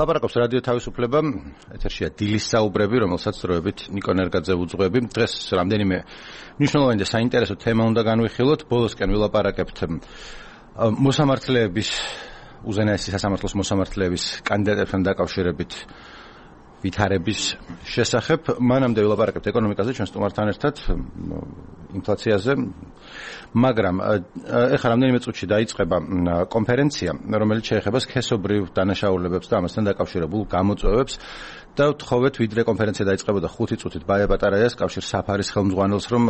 ლაპარაკობს რადიო თავისუფლება, ეთერშია დილის საუბრები, რომელსაც დროებით ნიკო ნერგაძე უძღვები. დღეს რამდენიმე მნიშვნელოვანი და საინტერესო თემა უნდა განვიხილოთ. ბოლოსკენ ვილაპარაკებთ მოსამართლეების, უზენაესი სასამართლოს მოსამართლეების კანდიდატებთან დაკავშირებით ვითარების შესახებ. მანამდე ვილაპარაკებთ ეკონომიკაზე, ჩვენ სტუმართან ერთად, ინფლაციაზე. მაგრამ ეხლა რამდენიმე წუთში დაიწყება კონფერენცია, რომელიც შეეხება სქესობრივ დანაშაულებებს და ამასთან დაკავშირებულ გამოწვევებს. და ვთხოვეთ, ვიდრე კონფერენცია დაიწყებოდა 5 წუთით ბაია პატარაიას კავშირ საფარის ხელმძღვანელს, რომ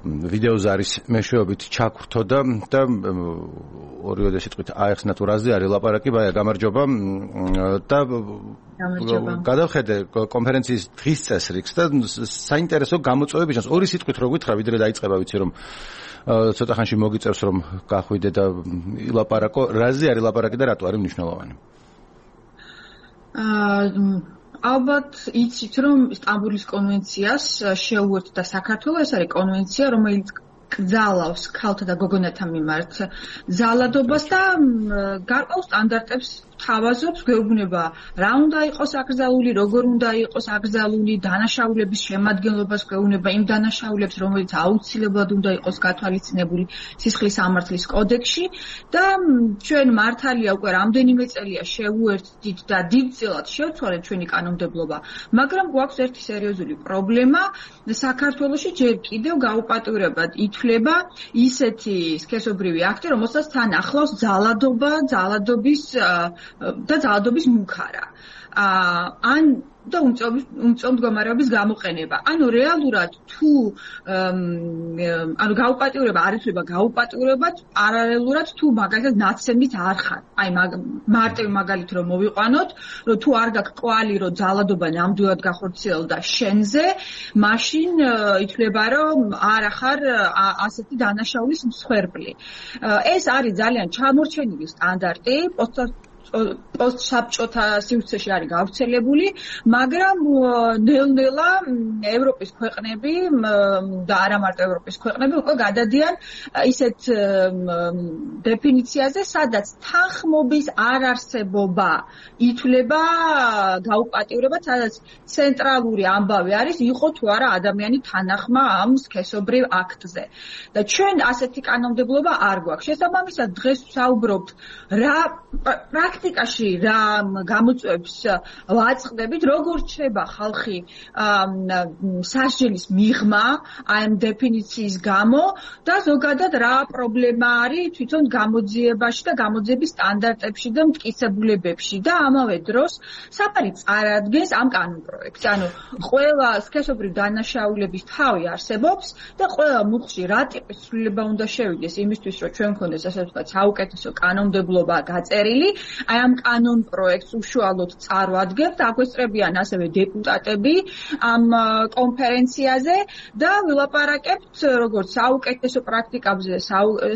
ვიდეოზარის მეშვეობით ჩაგვრთოდა და ორივე სიტყვით აეხსნა თუ რაზე არის ლაპარაკი. ბაია, გამარჯობა. და გადავხედე კონფერენციის დღის წესრიგს და საინტერესო გამოწვევები ჩანს. ორი სიტყვით რო გითხრა, ვიდრე დაიწყება, ვიცი რომ ცოტა ხანში მოგიწევს რომ გახვიდე და ილაპარაკო. რაზე არის ლაპარაკი და რატო არის მნიშვნელოვანი? ალბათ იცით რომ სტამბოლის კონვენციას შეუერთდა საქართველოს. ეს არის კონვენცია, რომელიც კრძალავს ქალთა და გოგონათა მიმართ ძალადობას და გარკვეულ სტანდარტებს თავაზობს, გვეუბნება რა უნდა იყოს აკრძალული, როგორ უნდა იყოს აკრძალული, დანაშაულების შემადგენლობას გვეუბნება იმ დანაშაულებს, რომელიც აუცილებლად უნდა იყოს გათვალისწინებული სისხლის სამართლის კოდექსში და ჩვენ მართალია უკვე რამდენიმე წელია შევუერთდით და დიდწილად შევცვალეთ ჩვენი კანონმდებლობა, მაგრამ გვაქვს ერთი სერიოზული პრობლემა. საქართველოში ჯერ კიდევ გაუპატიურებად ითვლება ისეთი სქესობრივი აქტი, რომელსაც თან ახლავს ძალადობა, ძალადობის მუქარა. ან და უმწვევ მდგომარეობის გამოყენება. ანუ რეალურად თუ გაუპატიურება არ ითვლება გაუპატიურებად, პარალელურად თუ მაგალითად ნაცემით არ ხარ. აი მარტივ მაგალით რომ მოვიყვანოთ, რომ თუ არ გაქვს კვალი, რომ ძალადობა ნამდვილად გახორციელდა შენზე, მაშინ ითვლება რომ არ ახარ ასეთი დანაშაულის მსხვერპლი. ეს არის ძალიან ჩამორჩენილი სტანდარტი, პოსტსაბჭოთა სივრცეში არის გავრცელებული, მაგრამ ნელ-ნელა ევროპის ქვეყნები და არა მარტო ევროპის ქვეყნები უკვე გადადიან ისეთ დეფინიციაზე, სადაც თანხმობის არარსებობა ითვლება გაუპატიურებად, სადაც ცენტრალური ამბავი არის იყო თუ არა ადამიანი თანახმა ამ სქესობრივ აქტზე. და ჩვენ ასეთი კანონმდებლობა არ გვაქვს. შესაბამისად, დღეს ვსაუბრობთ რა პრაქტიკაში რა გამოწვევებს ვაწყდებით, როგორ რჩება ხალხი სასჯელის მიღმა აი ამ დეფინიციის გამო და ზოგადად რა პრობლემა არის თვითონ გამოძიებაში და გამოძიების სტანდარტებში და მტკიცებულებებში და ამავე დროს საფარი წარადგენს ამ კანონპროექტს. ანუ ყველა სქესობრივ დანაშაულების თავი არსებობს და ყველა მუხლში რა ტიპის ცვლილება უნდა შევიდეს იმისთვის, რომ ჩვენ გქონდეს ასე ვთქვათ საუკეთესო კანონმდებლობა გაწერილი. აი ამ კანონ პროექტს უშუალოდ წარვადგენთ, აგვესწრებიან ასევე დეპუტატები ამ კონფერენციაზე და ვილაპარაკებთ როგორც საუკეთესო პრაქტიკებზე,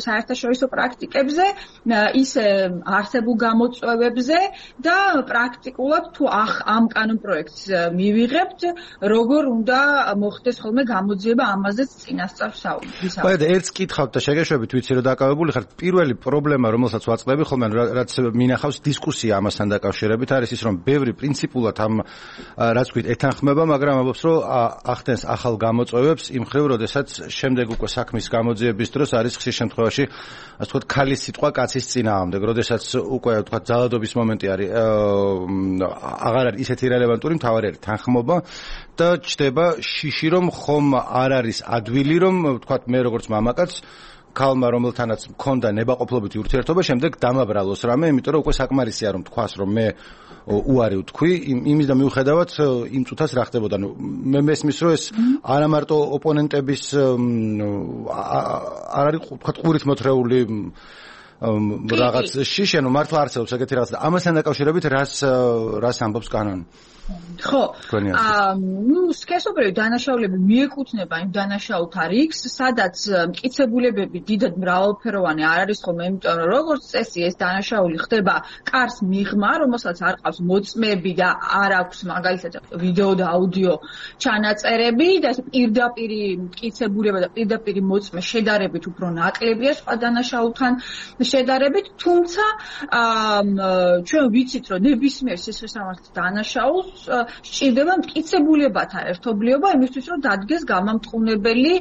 საერთაშორისო პრაქტიკებზე, ისე არსებულ გამოწვევებზე და პრაქტიკულად თუ ამ კანონ პროექტს მივიღებთ, როგორ უნდა მოხდეს ხოლმე გამოძიება, ამაზეც წინასწარ ვსაუბრობთ. ბაია, ერთს კითხავთ და შეგეშვებით, ვიცი რომ დაკავებული ხართ. პირველი პრობლემა, რომელსაც ვაწყდები ხოლმე, რაც მინახავს დისკუსია ამასთან დაკავშირებით, არის ის, რომ ბევრი პრინციპულად ამ რაც ვთქვით ეთანხმება, მაგრამ ამბობს, რომ ახდენს ახალ გამოწვევებს იმ ხრივ, როდესაც შემდეგ უკვე საქმის გამოძიების დროს არის ხშირ შემთხვევაში, ასე ვთქვათ, ქალის სიტყვა კაცის წინააღმდეგ, როდესაც უკვე ვთქვათ ძალადობის მომენტი არის, აღარ არის ისეთი რელევანტური, მთავარი არის თანხმობა და ჩდება შიში, რომ ხომ არ არის ადვილი, რომ ვთქვათ მე როგორც მამაკაც ქალმა, რომელთანაც მქონდა ნებაყოფლობითი ურთიერთობა, შემდეგ დამაბრალოს რამე, იმიტომ რომ უკვე საკმარისია რომ თქვას, რომ მე უარი ვთქვი, იმის და მიუხედავად იმ წუთას რა ხდებოდა. მე მესმის, რომ ეს არა მარტო ოპონენტების არ არის თქვათ ყურით მოთრეული რაღაც შიში, ანუ მართლა არსებობს ეგეთი რაღაც და ამასთან დაკავშირებით რას ამბობს კანონი? ხო, სქესობრივი დანაშაულები მიეკუთვნება იმ დანაშაულთა რიგს, სადაც მტკიცებულებები დიდად მრავალფეროვანი არ არის ხოლმე, იმიტომ რომ როგორც წესი ეს დანაშაული ხდება კარს მიღმა, რომელსაც არ ყავს მოწმეები და არ აქვს მაგალითად ვიდეო და აუდიო ჩანაწერები და ეს პირდაპირი მტკიცებულება და პირდაპირი მოწმე შედარებით უფრო ნაკლებია სხვა დანაშაულთან შედარებით, თუმცა ჩვენ ვიცით, რომ ნებისმიერ სისხლისამართლის დანაშაულს სჭირდება მტკიცებულებათა ერთობლიობა იმისთვის, რომ დადგეს გამამტყუნებელი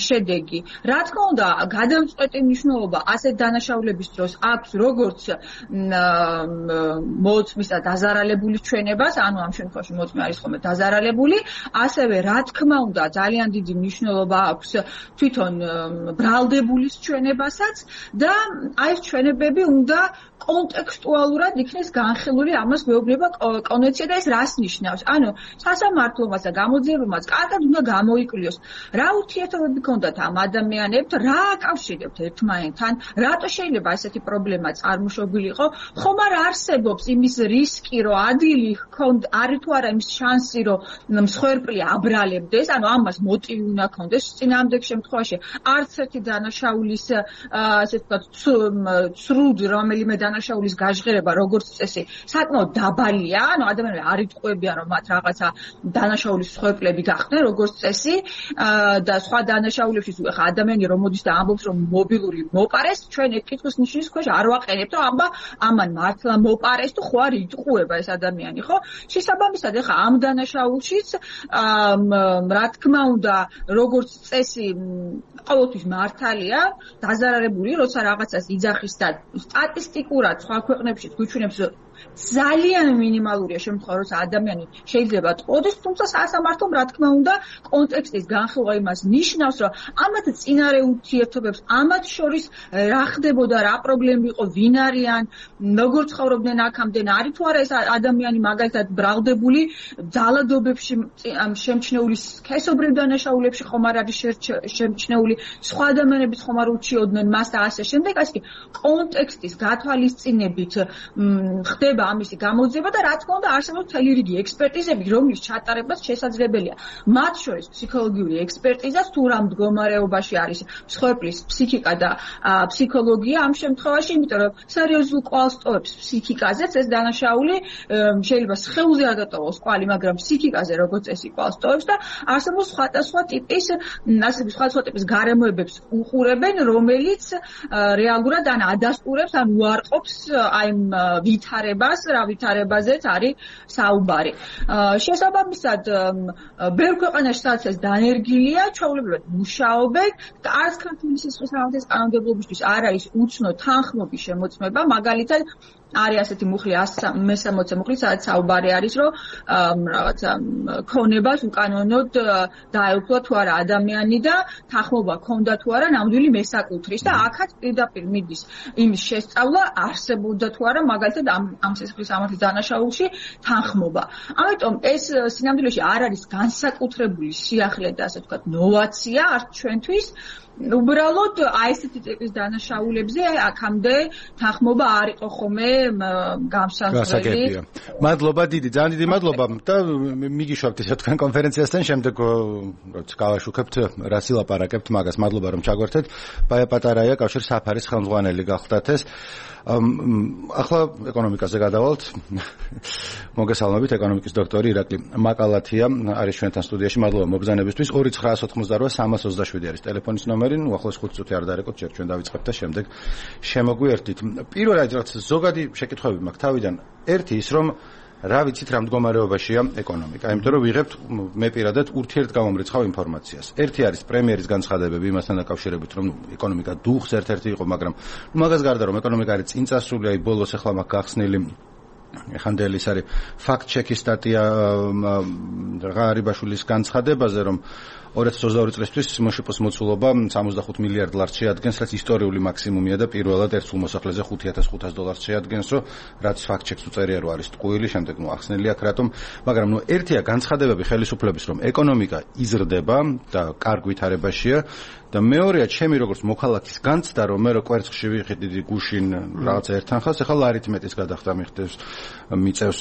შედეგი. Რა თქმა უნდა, გადამწყვეტი მნიშვნელობა ასეთ დანაშაულების დროს აქვს როგორც მოწმის და დაზარალებულის ჩვენებას, ანუ ამ შემთხვევაში მოწმე არის ხოლმე დაზარალებული, ასევე რა თქმა უნდა, ძალიან დიდი მნიშვნელობა აქვს თვითონ ბრალდებულის ჩვენებასაც და აი ეს ჩვენებები უნდა კონტექსტუალურად იქნეს განხილული, ამას გვეუბნება კონვენცია და ეს რას ნიშნავს? ანუ სასამართლომაც და გამოძიებამაც კარგად უნდა გამოიკვლიოს, რა ურთიერთობები ჰქონდათ ამ ადამიანებთან, რა აკავშირებთ ერთმანეთთან, რატო შეიძლება ესეთი პრობლემა წარმოშობილიყო, ხომ არ არსებობს იმის რისკი, რომ ადვილი ჰქონდა, არის თუ არა იმის შანსი, რომ მსხვერპლი აბრალებდეს, ანუ ამას მოტივი უნდა ჰქონდეს, წინააღმდეგ შემთხვევაში არც ერთი დანაშაულის ასე ვთქვათ, ცრუდ რომელიმე დანაშაულის გაჟღერება როგორც წესი საკმაოდ დაბალია, ანუ ადამიანები არ იტყუებიან რომ მათ რაღაცა დანაშაულის მსხვერპლები გახდნენ როგორც წესი და სხვა დანაშაულებშიც ხა ადამიანი რომ მოდის და ამბობს რომ მობილური მოპარეს, ჩვენ ეს კითხვის ნიშნის ქვეშ არ ვაყენებთ, რომ აბა ამან მართლა მოპარეს თუ ხო არ იტყუება ეს ადამიანი, ხო? შესაბამისად ხა ამ დანაშაულშიც რა თქმა უნდა როგორც წესი ყოველთვის მართალია დაზარალებული როცა რაღაცას იძახის და სტატისტიკურად სხვა ქვეყნებში გვიჩვენებს ძალიან მინიმალურია შემთხვევა, როცა ადამიანი შეიძლება ტყუდეს, თუმცა სასამართლომ რა თქმა უნდა კონტექსტის განხილვა იმას ნიშნავს, რომ ამათ წინარე ურთიერთობებს, ამათ შორის რა ხდებოდა, რა პრობლემები იყო, ვინ არიან, როგორ ცხოვრობდნენ აქამდე, არის თუ არა ეს ადამიანი მაგალითად ბრალდებული ძალადობებში შემჩნეული სქესობრივ დანაშაულებში ხომ არ არის შემჩნეული, სხვა ადამიანებიც ხომ არ ურჩიოდნენ მას და ასე შემდეგ, ასე კონტექსტის გათვალისწინებით ხდება ამისი გამოძიება და რა თქმა უნდა არსებობს მთელი რიგი ექსპერტიზები, რომლის ჩატარებაც შესაძლებელია. მათ შორის ფსიქოლოგიური ექსპერტიზა, თუ რა მდგომარეობაში არის მსხვერპლის ფსიქიკა და ფსიქოლოგია ამ შემთხვევაში, იმიტომ რომ სერიოზულ კვალს ტოვებს ფსიქიკაზეც ეს დანაშაული, შეიძლება სხეულზე არ დატოვოს კვალი, მაგრამ ფსიქიკაზე როგორც წესი კვალს ტოვებს და არსებობს სხვადასხვა ტიპის, ასე სხვადასხვა ტიპის გარემოებებს უყურებენ, რომელიც რეალურად ან ადასტურებს, ან უარყოფს აი ვითარებას, რა ვითარებაზეც არის საუბარი. შესაბამისად, ბევრ ქვეყანაში სადაც ეს დანერგილია, ჩვეულებრივად მუშაობენ და არც ქართული სისხლისამართლის კანონმდებლობისთვის არ არის უცნო თანხმობის შემოწმება, მაგალითად არის ასეთი მუხლი 160 მუხლი, სადაც საუბარი არის, რომ რაღაცა ქონებას უკანონოდ დაეუფლა თუ არა ადამიანი და თანხმობა ქონდა თუ არა ნამდვილი მესაკუთრის და აქაც პირდაპირ მიდის იმის შესწავლა, არსებობდა თუ არა მაგალითად ამ სისხლისამართლის დანაშაულში თანხმობა. ამიტომ ეს სინამდვილეში არ არის განსაკუთრებული სიახლე და ასე ვთქვათ ნოვაცია არც ჩვენთვის. უბრალოდ აი ესეთი ტიპის დანაშაულებზე აქამდე თანხმობა არ იყო ხოლმე გამსაზღვრელი. მადლობა დიდი, ძალიან დიდი მადლობა და მიგიშვებთ ესე თქვენ კონფერენციასთან შემდეგ როცა გავაშუქებთ რას ილაპარაკებთ მაგას. მადლობა რომ ჩაგვერთეთ. ბაია პატარაია კავშირ საფარის ხელმძღვანელი გახლდათ ეს. ახლა ეკონომიკაზე გადავალთ. მოგესალმებით, ეკონომიკის დოქტორი ირაკლი მაკალათია არის ჩვენთან სტუდიაში. მადლობა მობრძანებისთვის. 2988-327 არის ტელეფონის ნომერი. უახლოეს 5 წუთი არ დარეკოთ, ჯერ ჩვენ დავიწყებთ და შემდეგ შემოგვიერთით. პირველად რაც ზოგადი შეკითხვები მაქვს თავიდან. ერთი ის რომ რა ვიცით რა მდგომარეობაშია ეკონომიკა, იმიტომ რომ ვიღებთ მე პირადად ურთიერთგამომრიცხავ ინფორმაციას. ერთი არის პრემიერის განცხადებები იმასთან დაკავშირებით, რომ ეკონომიკა დუხს ერთ-ერთი იყო, მაგრამ მაგას გარდა რომ ეკონომიკა არის წინწასული, აი ბოლოს ახლა მაქვს გახსნილი ეხანდელი ის არის ფაქტ-ჩეკის სტატია ღარიბაშვილის განცხადებაზე, რომ 2022 წლისთვის მოშიპოს მოცულობა 65 მილიარდ დოლარს შეადგენს, რაც ისტორიული მაქსიმუმია და პირველად ერთ სულმოსახლეზე $5,500 შეადგენს, რომ რაც ფაქტ-ჩეკს უწერია რომ არის ტყუილი, შემდეგ ახსნელი აქვს რატომ, მაგრამ ერთია განცხადებები ხელისუფლების, რომ ეკონომიკა იზრდება და კარგ ვითარებაშია და მეორეა ჩემი როგორც მოქალაქის განცდა, რომ მე რო კვერცხში ვიხდი დიდი გუშინ რაღაცა ერთანხას, ახლა არითმეტის გადახდა მიწევს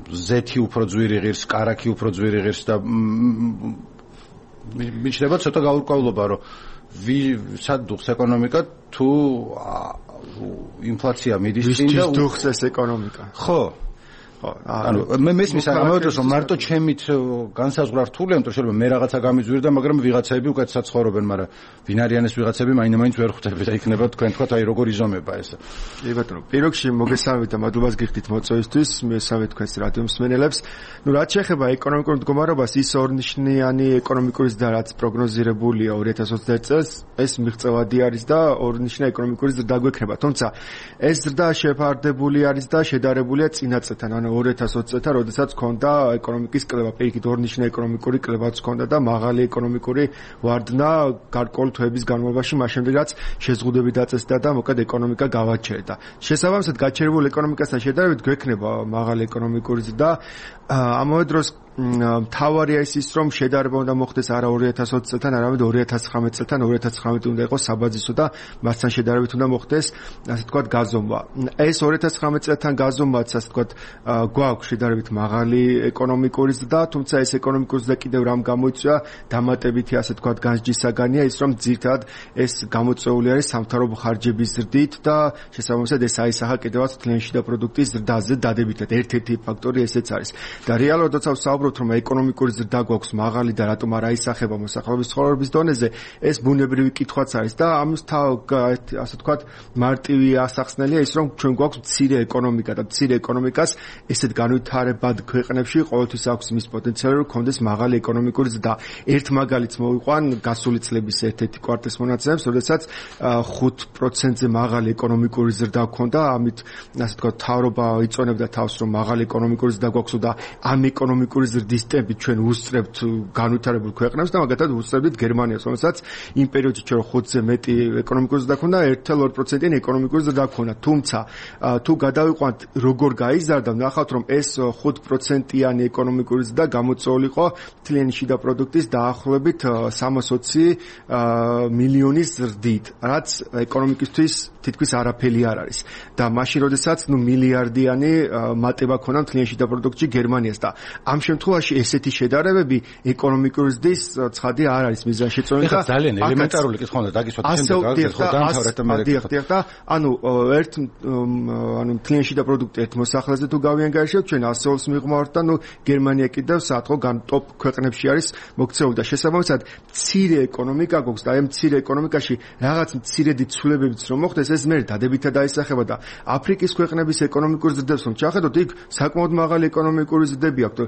ზეთი უფრო ძვირი ღირს, კარაქი უფრო ძვირი ღირს და მიჩნდება ცოტა გაურკვევლობა, რომ სად დუხს ეკონომიკა თუ ინფლაცია მიდის წინ და დუხს ეს ეკონომიკა. ხო. ანუ მე მესმის ამავდროულად რომ მარტო ჩემით განსაზღვრა რთულია, იმიტომ შეიძლება მე რაღაცა გამიძვირდა, მაგრამ ვიღაცები უკეთესად ცხოვრობენ, მაგრამ ვინ არიან ეს ვიღაცები მაინც ვერ ხვდები და იქნება თქვენ თქვათ აი როგორ იზომება ეს. კი ბატონო, პირიქში მოგესალმებით და მადლობას გიხდით მოწვევისთვის, მესავე თქვენს რადიო მსმენელებს. ნუ რაც შეეხება ეკონომიკურ მდგომარეობას, ის ორნიშნიანი ეკონომიკური ზრდა რაც პროგნოზირებულია 2021 წელს, ეს მიღწევადი არის და ორნიშნიანი ეკონომიკური ზრდა გვექნება. თუმცა ეს ზრდა შეფარდებული არის და შედარებულია წინა წელთან, ანუ 2020 წელთან, როდესაც ჰქონდა ეკონომიკის კლება, პირიქით ორნიშნიანი ეკონომიკური კლებაც ჰქონდა და მაღალი ეკონომიკური ვარდნა გარკვეული თვეების განმავლობაში, მას შემდეგ რაც შეზღუდვები დაწესდა და მოკლედ ეკონომიკა გავაჩერდა. შესაბამისად, გაჩერებულ ეკონომიკასთან შედარებით გვექნება მაღალი ეკონომიკური ზრდა. ამავე დროს მთავარია ის რომ შედარება უნდა მოხდეს არა 2020 წელთან, არამედ 2019 წელთან. 2019 უნდა იყოს საბაზისო და მასთან შედარებით უნდა მოხდეს, ასე ვთქვათ, გაზომვა. ეს 2019 წელთან გაზომვაც, ასე ვთქვათ, გვაქვს შედარებით მაღალი ეკონომიკური ზრდა, თუმცა ეს ეკონომიკური ზრდა კიდევ რამ გამოიწვია, დამატებითი, ასე ვთქვათ, განსჯის საგანია ის, რომ ძირითადად ეს გამოწვეული არის სამთავრობო ხარჯების ზრდით და შესაბამისად ეს აისახა კიდევაც თლიანი შიდა პროდუქტის ზრდაზე დადებითად. ერთ-ერთი ფაქტორი ესეც არის. და რეალურად როცა ვსაუბრობთ რომ ეკონომიკური ზრდა გვაქვს მაღალი და რატომ არ აისახება მოსახლეობის ცხოვრების დონეზე, ეს ბუნებრივი კითხვაც არის და ამის ასე ვთქვათ მარტივი ასახსნელია ის რომ ჩვენ გვაქვს მცირე ეკონომიკა და მცირე ეკონომიკას ესეთ განვითარებად ქვეყნებში ყოველთვის აქვს მის პოტენციალი რომ კონდეს მაღალი ეკონომიკური ზრდა. ერთ მაგალითს მოვიყვან გასული წლების ერთ-ერთი კვარტალის მონაცემებს, როდესაც 5%-ზე მაღალი ეკონომიკური ზრდა ჰქონდა, ამით ასე ვთქვათ თავრობა იწონებდა თავს რომ მაღალი ეკონომიკური ზრდა გვაქვს და ამ ეკონომიკური ზრდის ტემპით ჩვენ ვუსწრებთ განვითარებულ ქვეყნებს და მაგათად ვუსწრებთ გერმანიას, რომელსაც იმ პერიოდში ჩვენ 5-ზე მეტი ეკონომიკური ზრდა ჰქონდა, 1.2%-იანი ეკონომიკური ზრდა ჰქონდა. თუმცა თუ გადავიყვანთ როგორ გაიზარდა, ნახავთ რომ ეს 5%-იანი ეკონომიკური ზრდა გამოწვეული იყო თლიანი შიდა პროდუქტის დაახლოებით 320 მილიონის ზრდით, რაც ეკონომიკისთვის თითქმის არაფერი არ არის. და მაშინ როდესაც მილიარდიანი მატება ქონდა თლიანი შიდა პროდუქტში გერმანიას და ამ შემთხვევაში ესეთი შედარებები ეკონომიკური ზრდის ცხადი არ არის მიზანშეწონილი და ძალიან ელემენტარული კითხვა უნდა დაგისვათ შემდეგ დაამთავრეთ და მე და ანუ თლიანი შიდა პროდუქტი ერთ მოსახლეზე თუ გავიანგარიშებთ ჩვენ 100-ს მიღმავთ და გერმანია კიდევ საათო ტოპ ქვეყნებში არის მოქცეული და შესაბამისად მცირე ეკონომიკა გვაქვს და ამ მცირე ეკონომიკაში რაღაც მცირედი ცვლილებებიც რომ მოხდეს ეს მე დადებითად დაისახება და აფრიკის ქვეყნების ეკონომიკურ ზრდებს რომ ჩახედოთ იქ საკმაოდ მაღალი ეკონომიკური ზრდები აქვს.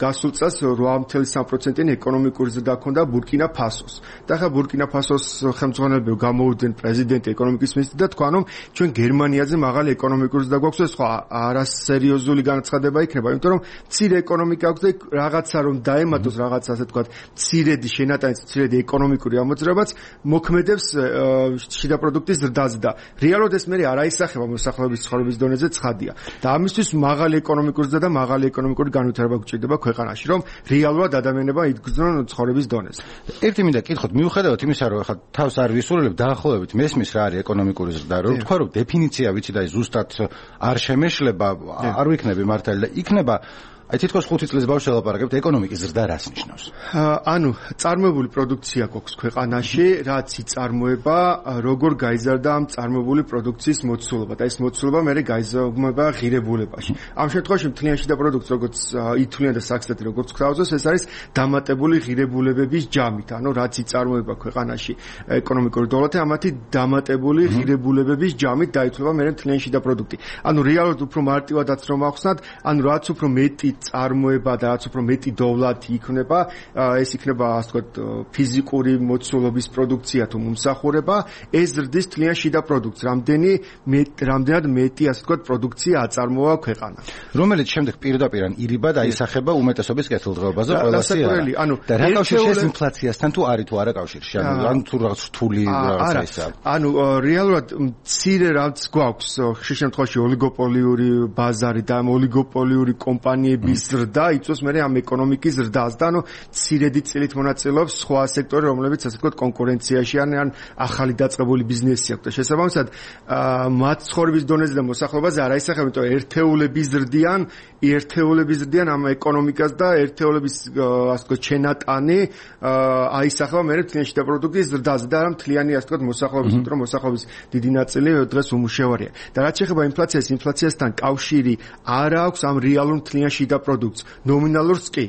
გასულ წელს 8.3%-იანი ეკონომიკური ზრდა ჰქონდა ბურკინა ფასოს. და ხა ბურკინა ფასოს ხელმძღვანელები გამოვიდნენ პრეზიდენტი ეკონომიკის მინისტრი და თქვა რომ ჩვენ გერმანიაზე მაღალი ეკონომიკური ზრდა გვაქვს, ეს ხო არასერიოზული განცხადება იქნება, იმიტომ რომ მცირე ეკონომიკა აქვს და რაღაცა რომ დაემატოს რაღაცა ასე ვთქვათ მცირედი შენატანი, მცირედი ეკონომიკური ამოძრაობაც მოქმედებს შიდა პროდუქტის ზრდაზე და რეალურად ეს მე არ აისახება მოსახლეობის ცხოვრების დონეზე ცხადია. და ამისთვის მაღალი ეკონომიკური ზრდა და მაღალი ეკონომიკური განვითარება გვჭირდება ქვეყანაში, რომ რეალურად ადამიანებმა იდგნენ ცხოვრების დონეზე. ერთი მინდა კითხოთ, მიუხედავად იმისა, რომ ახლა თავს არ ვისურვებ, დაახლოებით მესმის რა არის ეკონომიკური ზრდა, რომ თქვა რომ დეფინიცია ვიცი და ზუსტად არ შემეშლება, არ ვიქნები მართალი და იქნება აი თითქოს 5 წლის ბავშვს ელაპარაკებთ ეკონომიკის ზრდა რას ნიშნავს? ანუ წარმოებული პროდუქცია გვაქვს ქვეყანაში, რაც იწარმოება, როგორ გაიზარდა ამ წარმოებული პროდუქციის მოცულობა და ეს მოცულობა მე გაიზარდა ღირებულებაში. ამ შემთხვევაში მთლიანი შიდა პროდუქტი, როგორც ითვლიან და საქსტატი როგორც გვთავაზობს, ეს არის დამატებული ღირებულებების ჯამით, ანუ რაც იწარმოება ქვეყანაში ეკონომიკური დოლარი, ამათი დამატებული ღირებულებების ჯამით დაითვლება მე მთლიანი შიდა პროდუქტი. ანუ რეალურად უფრო მარტივადაც რომ ახსნათ, ანუ რაც უფრო მეტი წარმოება და რაც უფრო მეტი დოვლათი იქნება, ეს იქნება ასე ვთქვათ ფიზიკური მოცულობის პროდუქცია თუ მომსახურება, ეს ზრდის თლიან შიდა პროდუქტს, რამდენად მეტი ასე ვთქვათ პროდუქცია აწარმოა ქვეყანა. რომელიც შემდეგ პირდაპირ ირიბა დაისახება უმეტესობის კეთილდღეობაზე ყველასი არა. და რა კავშირი ეს ინფლაციასთან თუ არის თუ არა კავშირში? ანუ თუ რაღაც რთული რაღაცა ისაა. ანუ რეალურად მცირე რაც გვაქვს ხშირ შემთხვევაში ოლიგოპოლიური ბაზარი და ამ ოლიგოპოლიური კომპანიები სექტორების ზრდა იწვევს მე ამ ეკონომიკის ზრდას და ცირედი წილით მონაწილეობს სხვა სექტორები, რომლებიც ასე ვთქვათ კონკურენციაში ან ახალი დაწყებული ბიზნესი აქვს და შესაბამისად მათ ცხოვრების დონეზე და მოსახლეობაზე არ აისახება, იმიტომ ერთეულების ზრდიან ამ ეკონომიკას და ერთეულების ასე ვთქვათ ჩენატანი აისახება მე თლიანში და პროდუქტის ზრდაზე და მთლიანი ასე ვთქვათ მოსახლეობის, იმიტომ რომ მოსახლეობის დიდი ნაწილი დღეს უმუშევარია. და რაც შეეხება ინფლაციას, ინფლაციასთან კავშირი არ აქვს ამ რეალურ მთლიან შიდა პროდუქტს, ნომინალურს კი.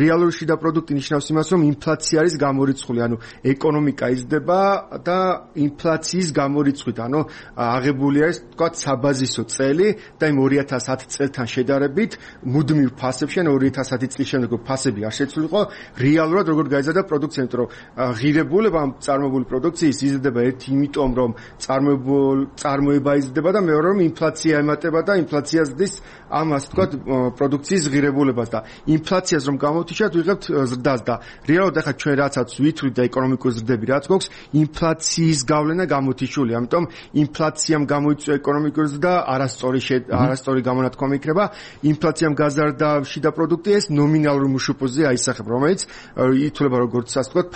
რეალური შიდა პროდუქტი ნიშნავს იმას, რომ ინფლაცია არის გამორიცხული, ანუ ეკონომიკა იზრდება და ინფლაციის გამორიცხვით, ანუ აღებული არის თქვათ საბაზისო წელი და იმ 2010 წელთან შედარებით მუდმივ ფასებში, ანუ 2010 წლის შემდეგ ფასები არ შეცვლილიყო, რეალურად როგორ გაიზარდა პროდუქცია, იმიტომ რომ ღირებულება ამ წარმოებული პროდუქციის იზრდება ერთი იმიტომ, რომ წარმოება იზრდება და მეორე რომ ინფლაცია ემატება და ინფლაცია ზრდის ამ ასე ვთქვათ პროდუქციის ღირებულებას და ინფლაციას რომ გამოვთიშოთ ვიღებთ ზრდას და რეალურად ახლა ჩვენ რაცაც ვითვლით და ეკონომიკური ზრდები რაც გვაქვს ინფლაციის გავლენა გამოვთიშულია, ამიტომ ინფლაციამ გამოიწვია ეკონომიკური ზრდა არასწორი გამონათქვამი იქნება, ინფლაციამ გაზარდა შიდა პროდუქტი ეს ნომინალური მუშუპოზე აისახება, რომელიც ითვლება როგორც ასე ვთქვათ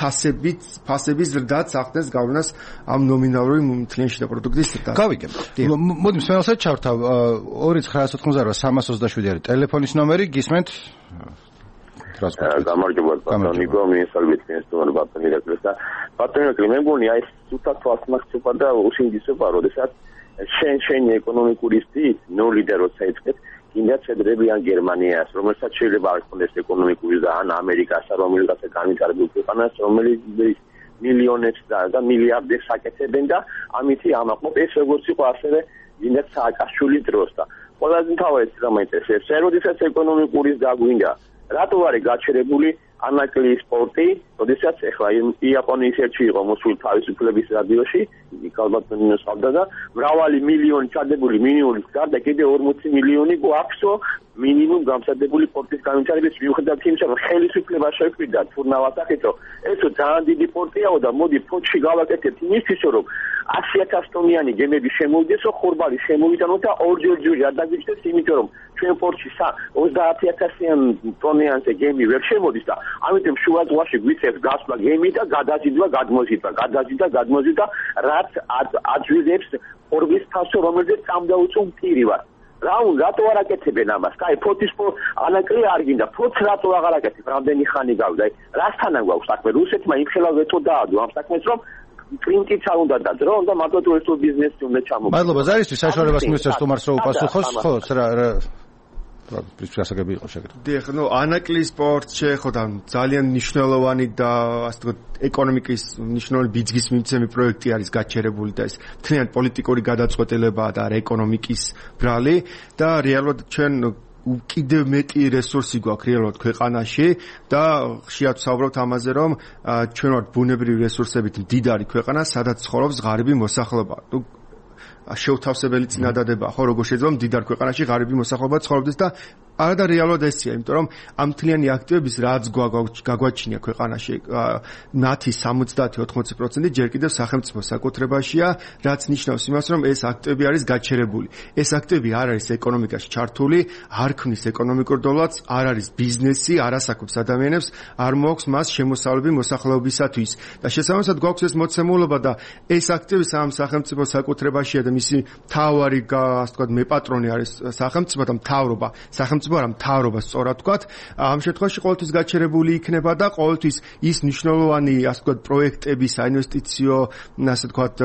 ფასების ზრდაც ახდენს გავლენას ამ ნომინალური მთლიანი შიდა პროდუქტის ზრდას. გავიგებთ. მოდი მსმენელსაც ჩავთავ 2985327 არის ტელეფონის ნომერი, გისმენთ? გამარჯობა ბატონიკო, მიესალმებით ინსტიტუტურ ბატონი რეკრეს და ბატონიკო მე მგონი აი სულთან თვალსმახცობა და უშინდისობა, როდესაც შენი ეკონომიკური სტილი ნოლი და როცა ეწეთ კიდაც შეძლებიან გერმანიას, რომელსაც შეიძლება არ ქონდეს ეკონომიკური და ან ამერიკას, რომელსაც განვითარებულ ქვეყანას, რომელიც მილიონებს და მილიარდებს აკეთებენ და ამითი ამაყობ ეს როგორც იყო ასევე კიდაც სააკაშვილის დროს და ყველაზე მთავარი რა მაინტერესებს, როდესაც ეკონომიკური გაგვინდა რატო არის გაჩერებული ანაკლიის სპორტი, როდესაც ახლა იაპონიის ერთში იყო მოსული თავისუფლების რადიოში, ალბათ მინუსავდა და მრავალი მილიონი ჩადებული მინიმუმის გარდა კიდე 40 მილიონი გვაქვსო მინიმუმ გამსადებული სპორტის განვითარების მიუხედავად იმისა, რომ ხელისუფლება შეკვირდა თურნავას ახეთო, ესო ძალიან დიდი სპორტიაო და მოდი ფოთში გავაკეთებთ იმისთვის, რომ 100,000 ტონიანი გემები შემოვიდესო, ხორბალი შემოვიდანო და ორჯერ არ დაგიჩნდეს, იმიტომ რომ ჩვენ პორტში 30,000 ტონიანზე გემი ვერ შემოდის და ამიტომ შუა ზღვაში გვიწევს გასვლა გემი და გადაზიდვა, გადმოზიდვა, რაც აძვირებს ხორბლის ფასო, რომელზეც წამდაუწვო მტირი ვარ. რატო არ აკეთებენ ამას? კაი, ფოთის ანაკლი არ გინდა, ფოთს რატო აღარ აკეთებ? რამდენი ხანი გავიდა? რასთანან გვაქვს საქმე? რუსეთმა იმხელა ვეტო დაადო ამ საქმეს, რომ კლინტიც არ უნდა დაძრო, და მარტო ტურისტულ ბიზნესში უნდა ჩამოგვიყვანოს. მადლობა ზარისთვის, საშუალებას მისცემს თუმარს რომ უპასუხოს, ხო, რა პრინციპი იყო შეგიძლია. დიახ, ანაკლიის სპორტ შეეხოდა ძალიან მნიშვნელოვანი და ასე ვთქვათ ეკონომიკის მნიშვნელოვანი ბიძგის მიმცემი პროექტი არის გაჩერებული და ეს მთლიან პოლიტიკური გადაწყვეტილებაა და ეკონომიკის ბრალი და რეალურად ჩვენ კიდევ მეტი რესურსი გვაქვს რეალურად ქვეყანაში და ხშირად ვსაუბრობთ ამაზე, რომ ჩვენ ვართ ბუნებრივი რესურსებით მდიდარი ქვეყანა, სადაც ცხოვრობს ღარიბი მოსახლეობა. შეუთავსებელი წინადადება, ხო, როგორ შეიძლება მდიდარ ქვეყანაში ღარიბი მოსახლეობა ცხოვრობდეს და არა და რეალურად ესია, იმიტომ რომ ამ მთლიანი აქტივების რაც გაგვაჩინია ქვეყანაში, მათი 70-80% ჯერ კიდევ სახელმწიფო საკუთრებაშია, რაც ნიშნავს იმას, რომ ეს აქტივები არის გაჩერებული. ეს აქტივები არ არის ეკონომიკაში ჩართული, არ ქმნის ეკონომიკურ დოლარს, არ არის ბიზნესი, არ ასაქმებს ადამიანებს, არ მოაქვს მას შემოსავლები მოსახლეობისათვის. და შესაბამისად გვაქვს ეს მოცემულობა და ეს აქტივი სამ სახელმწიფო საკუთრებაშია და მისი მთავარი, ასე ვთქვათ, მეპატრონი არის სახელმწიფო და მთავრობა. სახელმწიფო არა მთავრობა სწორად ვთქვათ, ამ შემთხვევაში ყოველთვის გაჩერებული იქნება და ყოველთვის ის მნიშვნელოვანი, ასე ვთქვათ, პროექტების, საინვესტიციო, ასე ვთქვათ,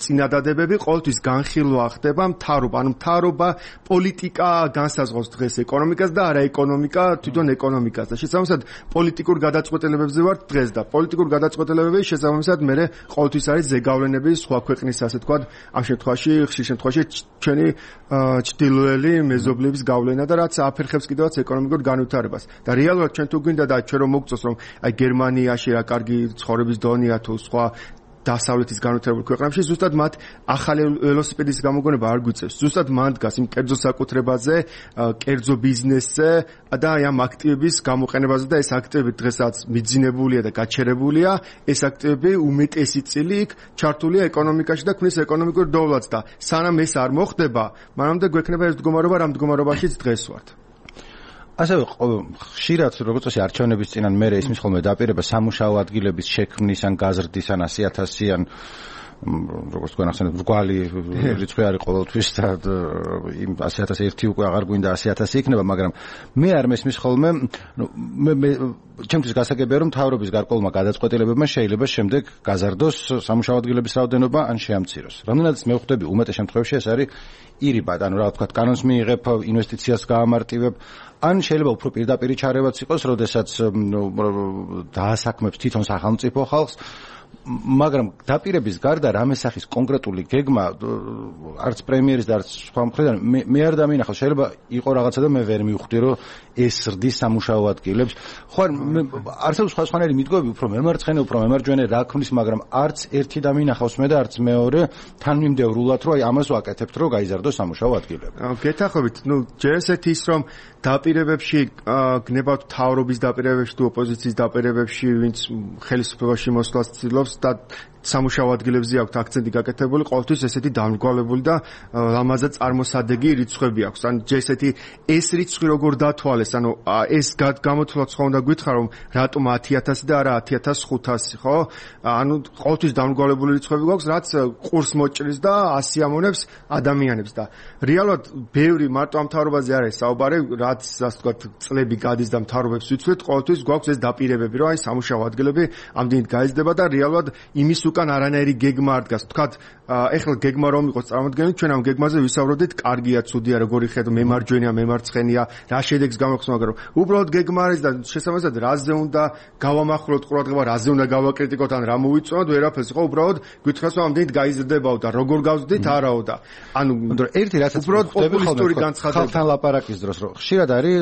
წინადადებები ყოველთვის განხილვა ხდება მთავრობა, ანუ მთავრობა პოლიტიკა განსაზღვრავს დღეს ეკონომიკას და არა ეკონომიკა თვითონ ეკონომიკას და შესაბამისად პოლიტიკურ გადაწყვეტილებებზე ვართ დღეს და პოლიტიკურ გადაწყვეტილებები შესაბამისად მე ყოველთვის არის ზეგავლენები სხვა ქვეყნის, ასე ვთქვათ, ამ შემთხვევაში ხშირ შემთხვევაში ჩვენი ჩრდილოელი მეზობლების გავლენა და რაც აფერხებს კიდევაც ეკონომიკურ განვითარებას. და რეალურად ჩვენ თუ გვინდა და ჩვენ რომ მოგწოს რომ აი გერმანიაში რა კარგი ცხოვრების დონეა თუ სხვა დასავლეთის განვითარებულ ქვეყნებში, ზუსტად მათ ახალი ველოსიპედის გამოგონება არ გვიწევს. ზუსტად მან დგას იმ კერძო საკუთრებაზე, კერძო ბიზნესზე და აი ამ აქტივების გამოყენებაზე და ეს აქტივები დღესაც მიძინებულია და გაჩერებულია. ეს აქტივები უმეტესი წილი იქ ჩართულია ეკონომიკაში და ქმნის ეკონომიკურ დოვლადს და სანამ ეს არ მოხდება, მანამდე გვექნება ეს მდგომარეობა, რა მდგომარეობაშიც დღეს ვართ. ასევე ხშირად როგორც წესი არჩევნების წინან მე ისმის ხოლმე დაპირება სამუშაო ადგილების შექმნის ან გაზრდის ან 100,000-იან როგორც თქვენ ახსენეთ მრგვალი რიცხვი არის ყოველთვის და იმ 100,001 უკვე აღარ გვინდა 100,000 იქნება, მაგრამ მე არ მესმის ხოლმე მე ჩემთვის გასაგებია რომ მთავრობის გარკვეულმა გადაწყვეტილებებმა შეიძლება შემდეგ გაზარდოს სამუშაო ადგილების რაოდენობა ან შეამციროს. რამდენადაც მე ვხვდები უმეტეს შემთხვევაში ეს არის ირიბად, ანუ რა ვთქვათ, კანონს მიიღებ, ინვესტიციას გაამარტივებ, ან შეიძლება უფრო პირდაპირ ჩარევაც იყოს, როდესაც დაასაქმებს თვითონ სახელმწიფო ხალხს, მაგრამ დაპირების გარდა რამე სახის კონკრეტული გეგმა არც პრემიერის და არც სხვა მხრიდან მე არ დამინახავს. შეიძლება იყო რაღაცა და მე ვერ მივხვდი რომ ეს ზრდის სამუშაო ადგილებს. ხო არსებობს სხვადასხვანაირი მიტყუები, უფრო მემარცხენე, უფრო მემარჯვენე რა ქმნის, მაგრამ არც ერთი დამინახავს მე და არც მეორე თანმიმდევრულად რომ აი ამას ვაკეთებთ რომ გაიზარდოს სამუშაო ადგილები. გეთახობით, ჯერ ესეთი ის რომ დაპირებებში გნებავთ თავრობის დაპირებებში თუ ოპოზიციის დაპირებებში, ვინც ხელისუფლებაში მოსვლას ცდილობს და სამუშაო ადგილებზე აქვს აქცენტი გაკეთებული, ყოველთვის ესეთი დამრგვალებული და ლამაზა წარმოსადეგი რიცხვები აქვს. ან ესეთი ეს რიცხვი როგორ დათვალეს, ანუ ეს გამოთვლაც ხო უნდა გითხრა რომ რატომ 10,000 და არა 10,500, ხო? ანუ ყოველთვის დამრგვალებული რიცხვები გვაქვს, რაც ყურს მოჭრის და ასიამონებს ადამიანებს და რეალურად ბევრი მარტო ამ მთავრობაზე არის საუბარი, რაც ასე ვთქვათ წლები გადის და მთავრობებს ვიცვით, ყოველთვის გვაქვს ეს დაპირებები, რომ აი სამუშაო ადგილები ამდენით გაიზრდება და რეალურად იმის უკან არანაირი გეგმა არ დგას. თქვათ, ეხლა გეგმა რომ იყოს წარმოადგენილი, ჩვენ ამ გეგმაზე ვისაუბრდით, კარგია, ცუდია, როგორი ხედო, მემარჯვენეა, მემარცხენეა, რა შედეგს გამოხსნა, მაგრამ უბრალოდ გეგმა არის და შესაბამისად რაზე უნდა გავამახვილოთ ყურადღება, რაზე უნდა გავაკრიტიკოთ, ან რა მოვიწონოთ, ვერაფერს ხო, უბრალოდ გითხრას რომ ამდენით გაიზრდებაო და როგორ გავზრდით, არაო და ანუ ერთი რასაც უბრალოდ პოპულისტური განცხადება ხალხთან ლაპარაკის დროს რომ ხშირად არის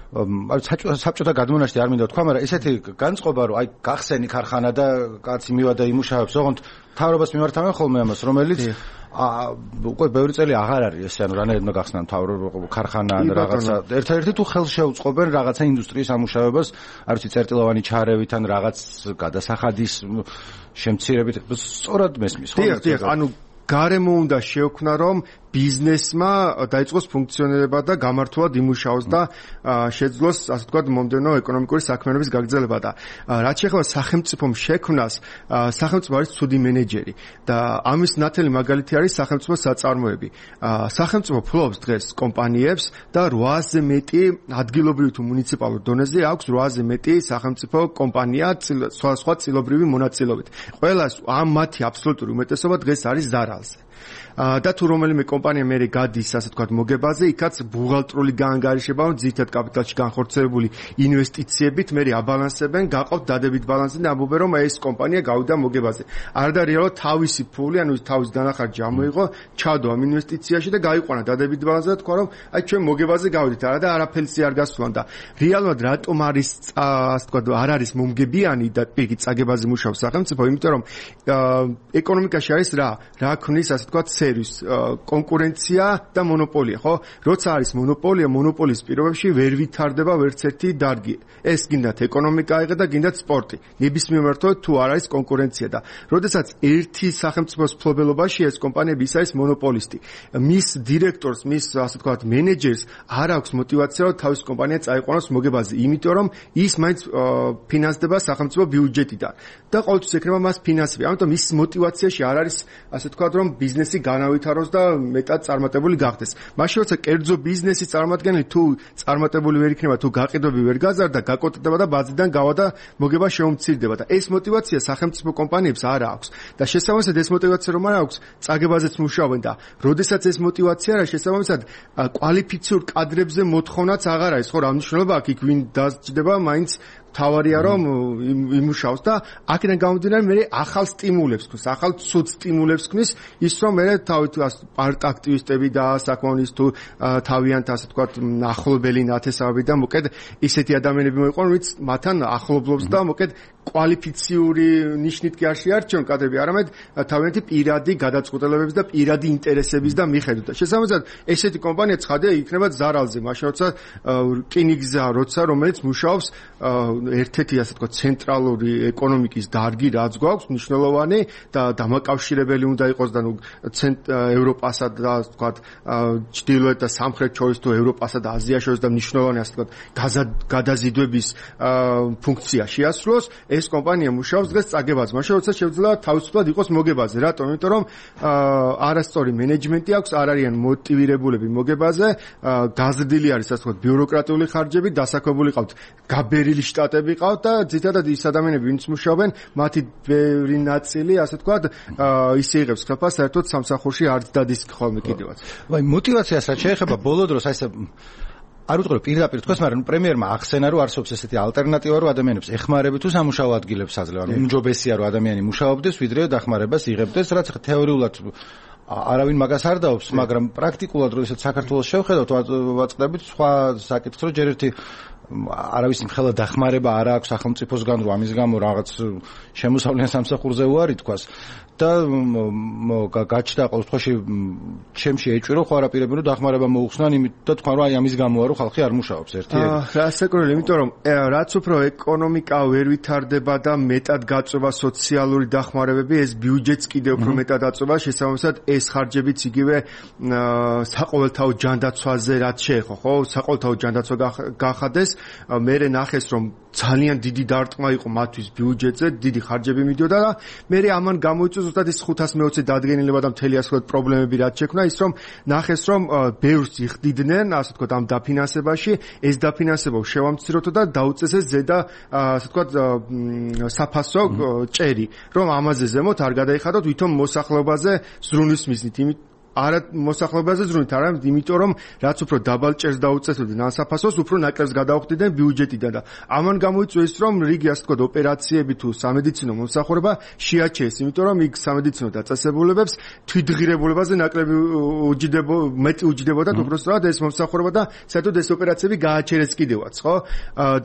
საბჭოთა გადმონაშთი არ მინდა თქვა, მაგრამ ესეთი განწყობა რომ აი გახსენი ქარხანა და კაცი მივადა იმუშავებს, ოღონდ მთავრობას მიმართავენ ხოლმე ამას, რომელიც უკვე ბევრი წელი აღარ არის ესე, ანუ რანაირად უნდა გახსნან ქარხანა ან რაღაცა. ერთ-ერთი თუ ხელს შეუწყობენ რაღაცა ინდუსტრიის ამუშავებას, არ ვიცი, წერტილოვანი ჩარევით ან რაღაც გადასახადის შემცირებით, სწორად მესმის ხო? დიახ, ანუ გარემო უნდა შეექმნა რომ ბიზნესმა დაიწყოს ფუნქციონირება და გამართულად იმუშაოს და შეძლოს, ასე ვთქვათ, მომდევნო ეკონომიკური საქმიანობის გაგრძელება და რაც შეეხება სახელმწიფომ შექმნას, სახელმწიფო არის ცუდი მენეჯერი და ამის ნათელი მაგალითი არის სახელმწიფო საწარმოები. სახელმწიფო ფლობს დღეს კომპანიებს და 800-ზე მეტი ადგილობრივი თუ მუნიციპალურ დონეზე აქვს 800-ზე მეტი სახელმწიფო კომპანია სხვა წილობრივი მონაწილეობით. ყველას ამ მათი აბსოლუტური უმეტესობა დღეს არის ზარალზე. და თუ რომელიმე კომპანია მე გადის, ასე ვთქვათ, მოგებაზე, იქაც ბუღალტრული გაანგარიშება, ძირითად კაპიტალში განხორციელებული ინვესტიციებით მე აბალანსებენ, გაყავთ დადებით ბალანსი და ამბობენ, რომ ეს კომპანია გავიდა მოგებაზე. არ და რეალურად თავისი ფული, ანუ თავის დანახარჯი ამოიღო, ჩადო ამ ინვესტიციაში და გაიყვანა დადებით ბალანსზე და თქვა, რომ აი ჩვენ მოგებაზე გავიდით, არა და არაფერში არ გასვლან და რეალურად რატომ არის, ასე ვთქვათ, არ არის მომგებიანი და პირი წაგებაზე მუშაობს სახელმწიფო, იმიტომ რომ ეკონომიკაში არის რა ქმნის, ასე ვთქვათ, კონკურენცია და მონოპოლია, ხო? როცა არის მონოპოლია, მონოპოლის პირობებში ვერ ვითარდება ვერც ერთი დარგი. ეს გინდათ ეკონომიკა აიღე და გინდათ სპორტი. ნებისმიერ მართლობად თუ არ არის კონკურენცია და როდესაც ერთი სახელმწიფოს მფლობელობაში ეს კომპანიები ის არის მონოპოლისტი. მის დირექტორს, მის ასე ვთქვათ, მენეჯერს არ აქვს мотиваცია რომ თავის კომპანია წაიყვანოს მოგებაზე, იმიტომ რომ ის მაინც ფინანსდება სახელმწიფო ბიუჯეტიდან და ყოველთვის ექნება მას ფინანსები. ამიტომ ის мотиваციაში არ არის, ასე ვთქვათ, რომ ბიზნესი განავითაროს და მეტად წარმატებული გახდეს. მაშინ როცა კერძო ბიზნესის წარმომადგენელი თუ წარმატებული ვერ იქნება, თუ გაყიდვები ვერ გაზარდა, გაკოტრდება და ბაზიდან გავა და მოგება შეუმცირდება და ეს мотиваცია სახელმწიფო კომპანიებს არ აქვს. და შესაბამისად ეს мотиваცია რომ არ აქვს, წაგებაზეც მუშაობენ და როდესაც ეს мотиваცია არა, შესაბამისად კვალიფიციურ კადრებზე მოთხოვნაც აღარ არის, ხო, რა მნიშვნელობა აქვს იქ ვინ დასჯდება, მაინც თავარია რომ იმუშაოს და აქედან გამომდინარე მე ახალ სტიმულებს ქმნის, ახალ ცუდ სტიმულებს ქმნის ის რომ მე თავით პარტ აქტივისტები და საკმაოდ თუ თავიანთ ასე ვთქვათ ახლობელი ნათესავები და მოკედ ისეთი ადამიანები მოიყვანონ ვინც მათთან ახლობლობს და მოკედ კვალიფიციური ნიშნით კი არ შეარჩიონ კადრები, არამედ თავიანთი პირადი გადაწყვეტილებების და პირადი ინტერესების და მიხედვით. შესაბამისად, ესეთი კომპანია ცხადია იქნება ზარალზე, მაშინ როცა რკინიგზა, რომელიც მუშაობს ერთ-ერთი ასე თქვა ცენტრალური ეკონომიკის დარგი, რაც გვაქვს, მნიშვნელოვანი და დამაკავშირებელი უნდა იყოს და ევროპასა და თქვა ჩრდილოეთ და სამხრეთ შორის თუ ევროპასა და აზიას შორის და მნიშვნელოვანი ასე თქვა გადაზიდვების ფუნქცია შეასრულოს. ეს კომპანია მუშაობს დღეს წაგებაზე, მაშინ როცა შეიძლება თავისუფლად იყოს მოგებაზე. რატომ? იმიტომ რომ არასწორი მენეჯმენტი აქვს, არ არიან მოტივირებულები მოგებაზე, გაზრდილი არის ასე ვთქვათ ბიუროკრატიული ხარჯები, დასაქმებული ყავთ გაბერილი შტატები ყავთ და ძირითადად ის ადამიანები, ვინც მუშაობენ, მათი ბევრი ნაწილი ასე ვთქვათ ისე იღებს ხელფას, საერთოდ სამსახურში არც დადის ხოლმე კიდევაც. ვაი, мотиваციას რაც შეეხება ბოლო დროს აი ეს არ ვიტყვი პირდაპირ თქვას, მაგრამ პრემიერმა ახსენა, რომ არსებობს ესეთი ალტერნატივა, რომ ადამიანებს ეხმარები თუ სამუშაო ადგილებს აძლევ, ანუ უმჯობესია, რომ ადამიანი მუშაობდეს, ვიდრე დახმარებას იღებდეს, რაც ხა თეორიულად არავინ მაგას არ დაობს, მაგრამ პრაქტიკულად როდესაც საქართველოს შევხედავთ, ვაწყდებით სხვა საკითხს, რომ ჯერ ერთი არავის მხოლოდ დახმარება არ აქვს სახელმწიფოსგან, რომ ამის გამო რაღაც შემოსავლიან სამსახურზე უარი თქვას და გაჩნდა ყოველ შემთხვევაში ჩემში ეჭვირო ხო არაპირები რომ დახმარება მოუხსნან, იმიტომ და თქვა რომ აი ამის გამოა რომ ხალხი არ მუშაობს ერთი. რასაკურველი, იმიტომ რომ რაც უფრო ეკონომიკა ვერ ვითარდება და მეტად გაწובה სოციალური დახმარებები, ეს ბიუჯეტს კიდევ უფრო მეტად აწובה, შესაბამისად ეს ხარჯებიც იგივე საყოველთაო ჯანდაცვაზე რაც შეეხო, ხო? საყოველთაო ჯანდაცვა გახადეს, მე ნახეს რომ ძალიან დიდი დარტყმა იყო მათთვის ბიუჯეტზე, დიდი ხარჯები მიდიოდა და მე ამან გამოიწვია ზუსტად ის 520 დადგენილება და მთელი ასე ვთქვათ პრობლემები რაც შექმნა, ის რომ ნახეს რომ ბევრს იხდიდნენ ასე ვთქვათ ამ დაფინანსებაში, ეს დაფინანსება შევამციროთო და დაუწესეს ზედა ასე ვთქვათ საფასო ჭერი, რომ ამაზე ზემოთ არ გადაიხადოთ, ვითომ მოსახლეობაზე ზრუნვის მიზნით, არა მოსახლეობაზე ზრუნვით, არამედ იმიტომ რომ რაც უფრო დაბალ ჭერს დაუწესებდნენ ასაფასოს, უფრო ნაკლებს გადაუხდიდნენ ბიუჯეტიდან და ამან გამოიწვია ის რომ რიგი ასე ვთქვათ ოპერაციები თუ სამედიცინო მომსახურება შეაჩერეს, იმიტომ რომ იქ სამედიცინო დაწესებულებებს თვითღირებულებაზე ნაკლები მეტი უჯდებოდა უბრალოდ ეს მომსახურება და საერთოდ ეს ოპერაციები გააჩერეს კიდევაც, ხო?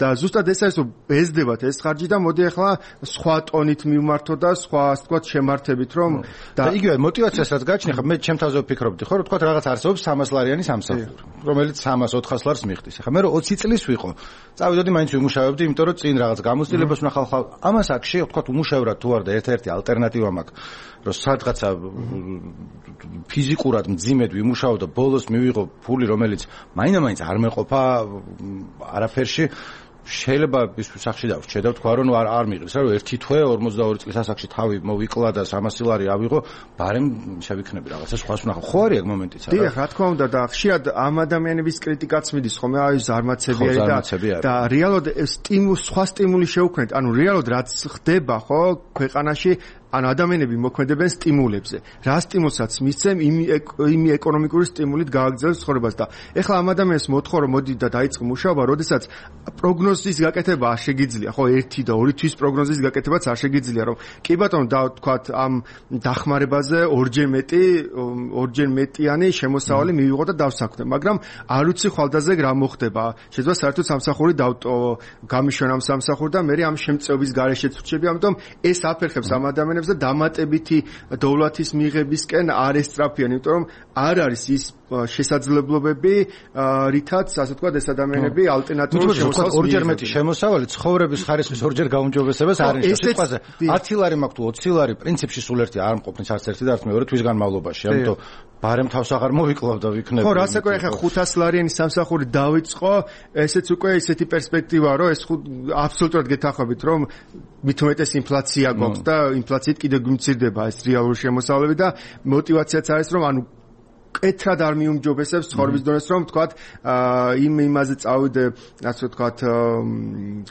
და ზუსტად ეს არის რომ ბეზდებათ ეს ხარჯი და მოდი ახლა სხვა ტონით მივმართო და სხვა ასე ვთქვათ შემართებით რომ და იგივე мотиваციას რაც გაჩნია, ხა მე ჩემ ვფიქრობდი ხო, რომ თქვა რაღაც არსებობს 300 ლარიანი სამსახური, რომელიც 300-400 ლარს მიხდის. ახლა მე რომ 20 წლის ვიყო, წავიდოდი მაინც ვიმუშავებდი, იმიტომ რომ წინ რაღაც გამოცდილებას ვნახავ. ამას აქ თქვა უმუშევრად თუ არ და ერთ-ერთი ალტერნატივა მაქვს, რომ სადღაცა ფიზიკურად მძიმედ ვიმუშაო და ბოლოს მივიღო ფული, რომელიც მაინც არ მეყოფა არაფერში. შეიძლება ის სახში დავრჩე და თქვა რომ არ მიღებს, რომ ერთი თვე 42 წლის ასაკში თავი მოვიკლა და 300 ლარი ავიღო, ბარემ შევიქნები რაღაცა სხვას ვნახო. ხო არის ეგ მომენტიც არა? დიახ, რა თქმა უნდა და ხშირად ამ ადამიანების კრიტიკაც მიდის ხოლმე, აი ზარმაცები არის და რეალურად სხვა სტიმული შეუქმნეთ, ანუ რეალურად რაც ხდება ხო ქვეყანაში, ანუ ადამიანები მოქმედებენ სტიმულებზე. რა სტიმულსაც მისცემ, იმ ეკონომიკური სტიმულით გააგრძელებს ცხოვრებას და ეხლა ამ ადამიანს მოთხოვ რომ მოდი და დაიწყო მუშაობა, როდესაც პროგნოზის გაკეთება არ შეგიძლია, ხო, 1 და 2 თვის პროგნოზის გაკეთებაც არ შეგიძლია, რომ კი ბატონო და თქვათ ამ დახმარებაზე ორჯერ მეტიანი შემოსავალი მივიღო და დავსაქმდე, მაგრამ არ ვიცი ხვალდაზე რა მოხდება. შეიძლება საერთოდ სამსახური დავტოვო, გამიშვენ ამ სამსახური და მე ამ შემწეობის გარეშეც ვრჩები, ამიტომ ეს აფერხებს ამ ადამიანებს და დამატებითი დოვლათის მიღებისკენ არ ესწრაფიან, იმიტომ რომ არ არის ის შესაძლებლობები, რითაც ასე ვთქვათ ეს ადამიანები ალტერნატიულ შემოსავალს ორჯერ მეტი შემოსავალი ცხოვრების ხარისხის ორჯერ გაუმჯობესებას არ ნიშნავს. სიტყვაზე 10 ლარი მაქვს თუ 20 ლარი პრინციპში სულ ერთი არ მყოფნის არც ერთი და არც მეორე თვის განმავლობაში, ამიტომ ბარემ თავს აღარ მოვიკლავ და ვიქნები. ხო, რასაკვირველია, ხა 500 ლარიანი სამსახური დავიწყო, ესეც უკვე ისეთი პერსპექტივაა, რომ ეს აბსოლუტურად გეთანხმებით, რომ მით უმეტეს ინფლაცია გვაქვს და ინფლაციით კიდევ გვიმცირდება ეს რეალური შემოსავლები და мотиваციაც არის, რომ ანუ კეთრად არ მიუმჯობესებს ცხოვრების დონეს, რომ თქვათ იმაზე წავიდე, ასე ვთქვათ,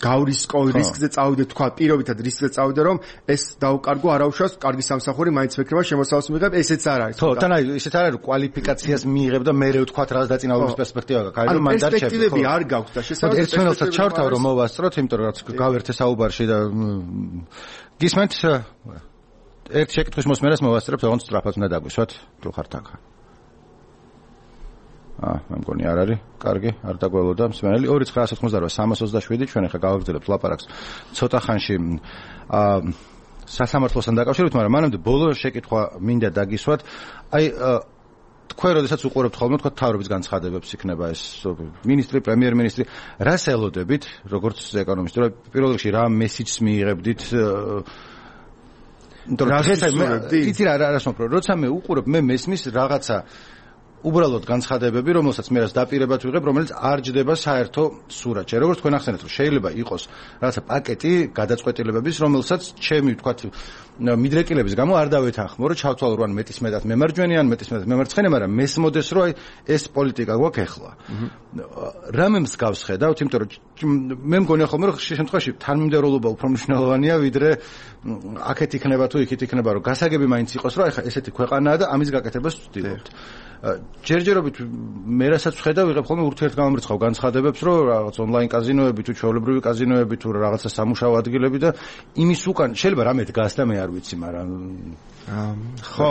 გავრისკო რისკზე წავიდე, თქვათ, პირობითად რისკზე წავიდე, რომ ეს დაუკარგო, არაუშავს, კარგი სამსახური მაინც ვექნება, შემოსავალს მიღებ, ესეც არ არის. ხო, თან აი, ისეთ არ არის, რომ კვალიფიკაციას მიიღებ და მე ვთქვათ, რაღაც დაწინაურების პერსპექტივა გაქვს. აი, რომ მან დარჩები. პერსპექტივები არ გაქვს და შესაძლოა ერთმანეთსაც ჩავთავ რომ მოვასწროთ, იმიტომ რომ რაც გავერთე საუბარში და გისმენთ ერთ შეკითხვის მოსმენას მოვასწრებთ, ოღონდ სწრაფად უნდა დაგვისვათ, თუ ხართ აქ. მე მგონი არ არის. კარგი, არ დაგველოდა მსმენელი. 2.998-327 ჩვენ ახლა გავაგრძელებთ ლაპარაკს ცოტა ხანში სასამართლოსთან დაკავშირებით, მაგრამ მანამდე ბოლო შეკითხვა მინდა დაგისვათ. აი თქვენ როდესაც უყურებთ ხოლმე თქვა თავრობის განცხადებებს იქნება ეს მინისტრი, პრემიერ-მინისტრი, რას ელოდებით, როგორც ეკონომისტი, რომ პირველ რიგში რა მესიჯს მიიღებდით? იცი რა მოსპრო, როცა მე უყურებ, მე მესმის რაღაცა უბრალოდ განცხადებები, რომელსაც მე რას დაპირებად ვიღებ, რომელიც არ ჯდება საერთო სურათში. როგორც თქვენ ახსენეთ, რომ შეიძლება იყოს რაღაცა პაკეტი გადაწყვეტილებების, რომელსაც ჩემი ვთქვათ მიდრეკილების გამო არ დავეთანხმო, რომ ჩავთვალო რომ მეტის მეტად მემარჯვენე ან მეტის მეტად მემარცხენე, მაგრამ მესმოდეს რომ აი ეს პოლიტიკა გვაქვს ახლა. რამე მსგავს ხედავთ, იმიტომ რომ მე მგონია ხოლმე რომ ხშირ შემთხვევაში თანმიმდევრულობა უფრო მნიშვნელოვანია, ვიდრე აქეთ იქნება თუ იქით იქნება, რომ გასაგები მაინც იყოს, რომ აი ხა ესეთი ქვეყანაა და ამის გაკეთებას ვცდილობთ. ჯერჯერობით მე რასაც ვხედავ, ვიღებ ხოლმე ურთიერთგამომრიცხავ განცხადებებს, რომ რაღაც ონლაინ კაზინოები თუ ჩვეულებრივი კაზინოები თუ რაღაცა სამუშაო ადგილები და იმის უკან შეიძლება რამე დგას და მე არ ვიცი, მაგრამ ხო,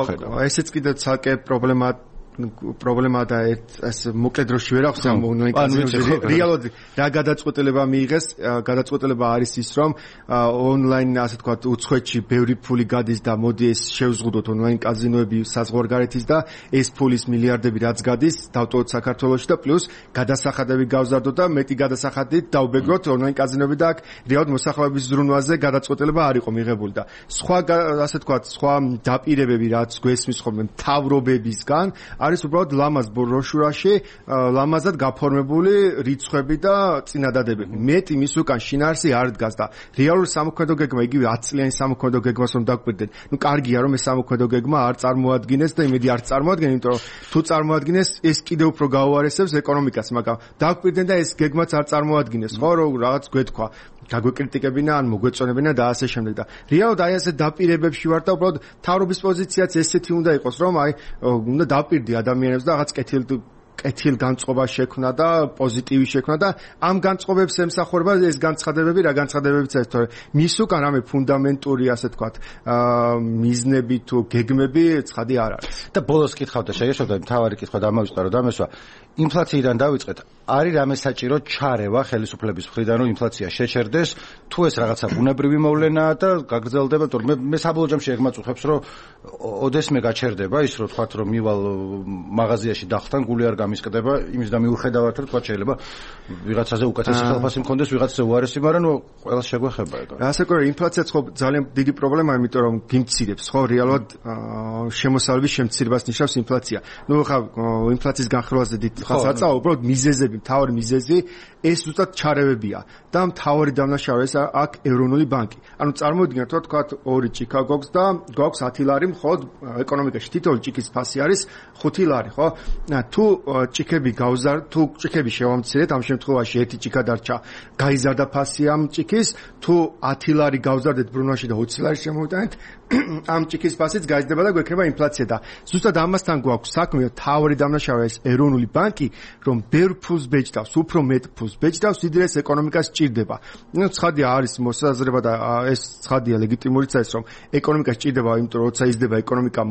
ესეც კიდე ცალკე პრობლემაა და ეს მოკლედ დროში ვერ აქვს ამ ონლაინ კაზინოებში. რეალურად რა გადაწყვეტილება მიიღეს? გადაწყვეტილება არის ის, რომ ონლაინ ასე თქვა უცხოეთში ბევრი ფული გადის და მოდი ეს შევზღუდოთ ონლაინ კაზინოები საზღვარგარეთის და ეს ფულის მილიარდები რაც გადის დავტოვოთ საქართველოში და პლუს გადასახადები გავზარდოთ და მეტი გადასახადით დავბეგროთ ონლაინ კაზინოები და აქ რეალურად მოსახლეობის ზრუნვაზე გადაწყვეტილება არ იყო მიღებული და სხვა ასე თქვა სხვა დაპირებები რაც გვესმის ხოლმე მთავრობებისგან არის უბრალოდ ლამაზ ბროშურაში ლამაზად გაფორმებული რიცხვები და წინადადებები. მეტი მის უკან შინაარსი არ დგას და რეალური სამოქმედო გეგმა იგივე 10 წლიანი სამოქმედო გეგმას რომ დაგვიყვებდეთ. ნუ კარგია რომ ეს სამოქმედო გეგმა არ წარმოადგენს და იმედი არ წარმოადგენს, იმიტომ რომ თუ წარმოადგენს ეს კიდევ უფრო გაუარესებს ეკონომიკას, მაგრამ დაგვიყვებდნენ და ეს გეგმაც არ წარმოადგენს, ხო რომ რაღაც გვეთქვა გაგვეკრიტიკებინა ან მოგვეწონებინა და ასე შემდეგ და რეალურად აი ასე დაპირებებში ვარ და უბრალოდ თავრობის პოზიციაც ესეთი უნდა იყოს რომ აი უნდა დაპირდი ადამიანებს და რაღაც კეთილ განწყობა შექმნა და პოზიტივი შექმნა და ამ განწყობებს ემსახურება ეს განცხადებები რა განცხადებებიც არის თორე მის უკან რამე ფუნდამენტური ასე თქვათ მიზნები თუ გეგმები ცხადი არ არის და ბოლოს კითხავ და შეგეშვა მთავარი კითხვა დამავიწყდა რომ დამესვა ინფლაციიდან დავიწყეთ არის რამე საჭირო ჩარევა ხელისუფლების მხრიდან რომ ინფლაცია შეჩერდეს თუ ეს რაღაცა ბუნებრივი მოვლენაა და გაგრძელდება თორე მე საბოლოო ჯამში ეგ მაწუხებს რომ ოდესმე გაჩერდება ის რომ თქვათ რომ მივალ მაღაზიაში დახთან გული არ გამისკდება იმის და მიუხედავად რომ თქვათ შეიძლება ვიღაცაზე უკეთესი ხელფასი მქონდეს ვიღაცაზე უარესი მაგრამ ყველას შეგვეხება ეგ ასე ყო ინფლაციაც ხო ძალიან დიდი პრობლემაა იმიტომ რომ გიმცირებს ხო რეალურად შემოსავლების შემცირებას ნიშნავს ინფლაცია ნუ ხა ინფლაციის განხილვაზე დიდ ხალხს აწავა უბრალოდ მიზეზები მთავარი მიზეზი ეს ზუსტად ჩარევებია და მთავარი დამნაშავე ეს აქ ეროვნული ბანკი ანუ წარმოვიდგინოთ რომ თქვათ ორი ჭიქა გვაქვს და გვაქვს 10 ლარი მხოლოდ ეკონომიკაში თითოეული ჭიქის ფასი არის 5 ლარი ხო თუ ჭიქები თუ ჭიქები შევამცირეთ ამ შემთხვევაში ერთი ჭიქა დარჩა გაიზარდა ფასი ამ ჭიქის თუ 10 ლარი გავზარდეთ ბრუნვაში და 20 ლარი შემოვიტანეთ ამ ჭიქის ფასიც გაიზრდება და გვექნება ინფლაცია და ზუსტად ამასთან გვაქვს საქმე თავი დამნაშავე ეს ეროვნული ბანკი რომ ბევრ ფულს ბეჭდავს უფრო მეტ ფულს ბეჭდავს ვიდრე ეკონომიკას ჭირდება ნუ ცხადია არის მოსაზრება და ეს ცხადია ლეგიტიმურიც არის რომ ეკონომიკას ჭირდება იმიტომ რომ როცა იზრდება ეკონომიკა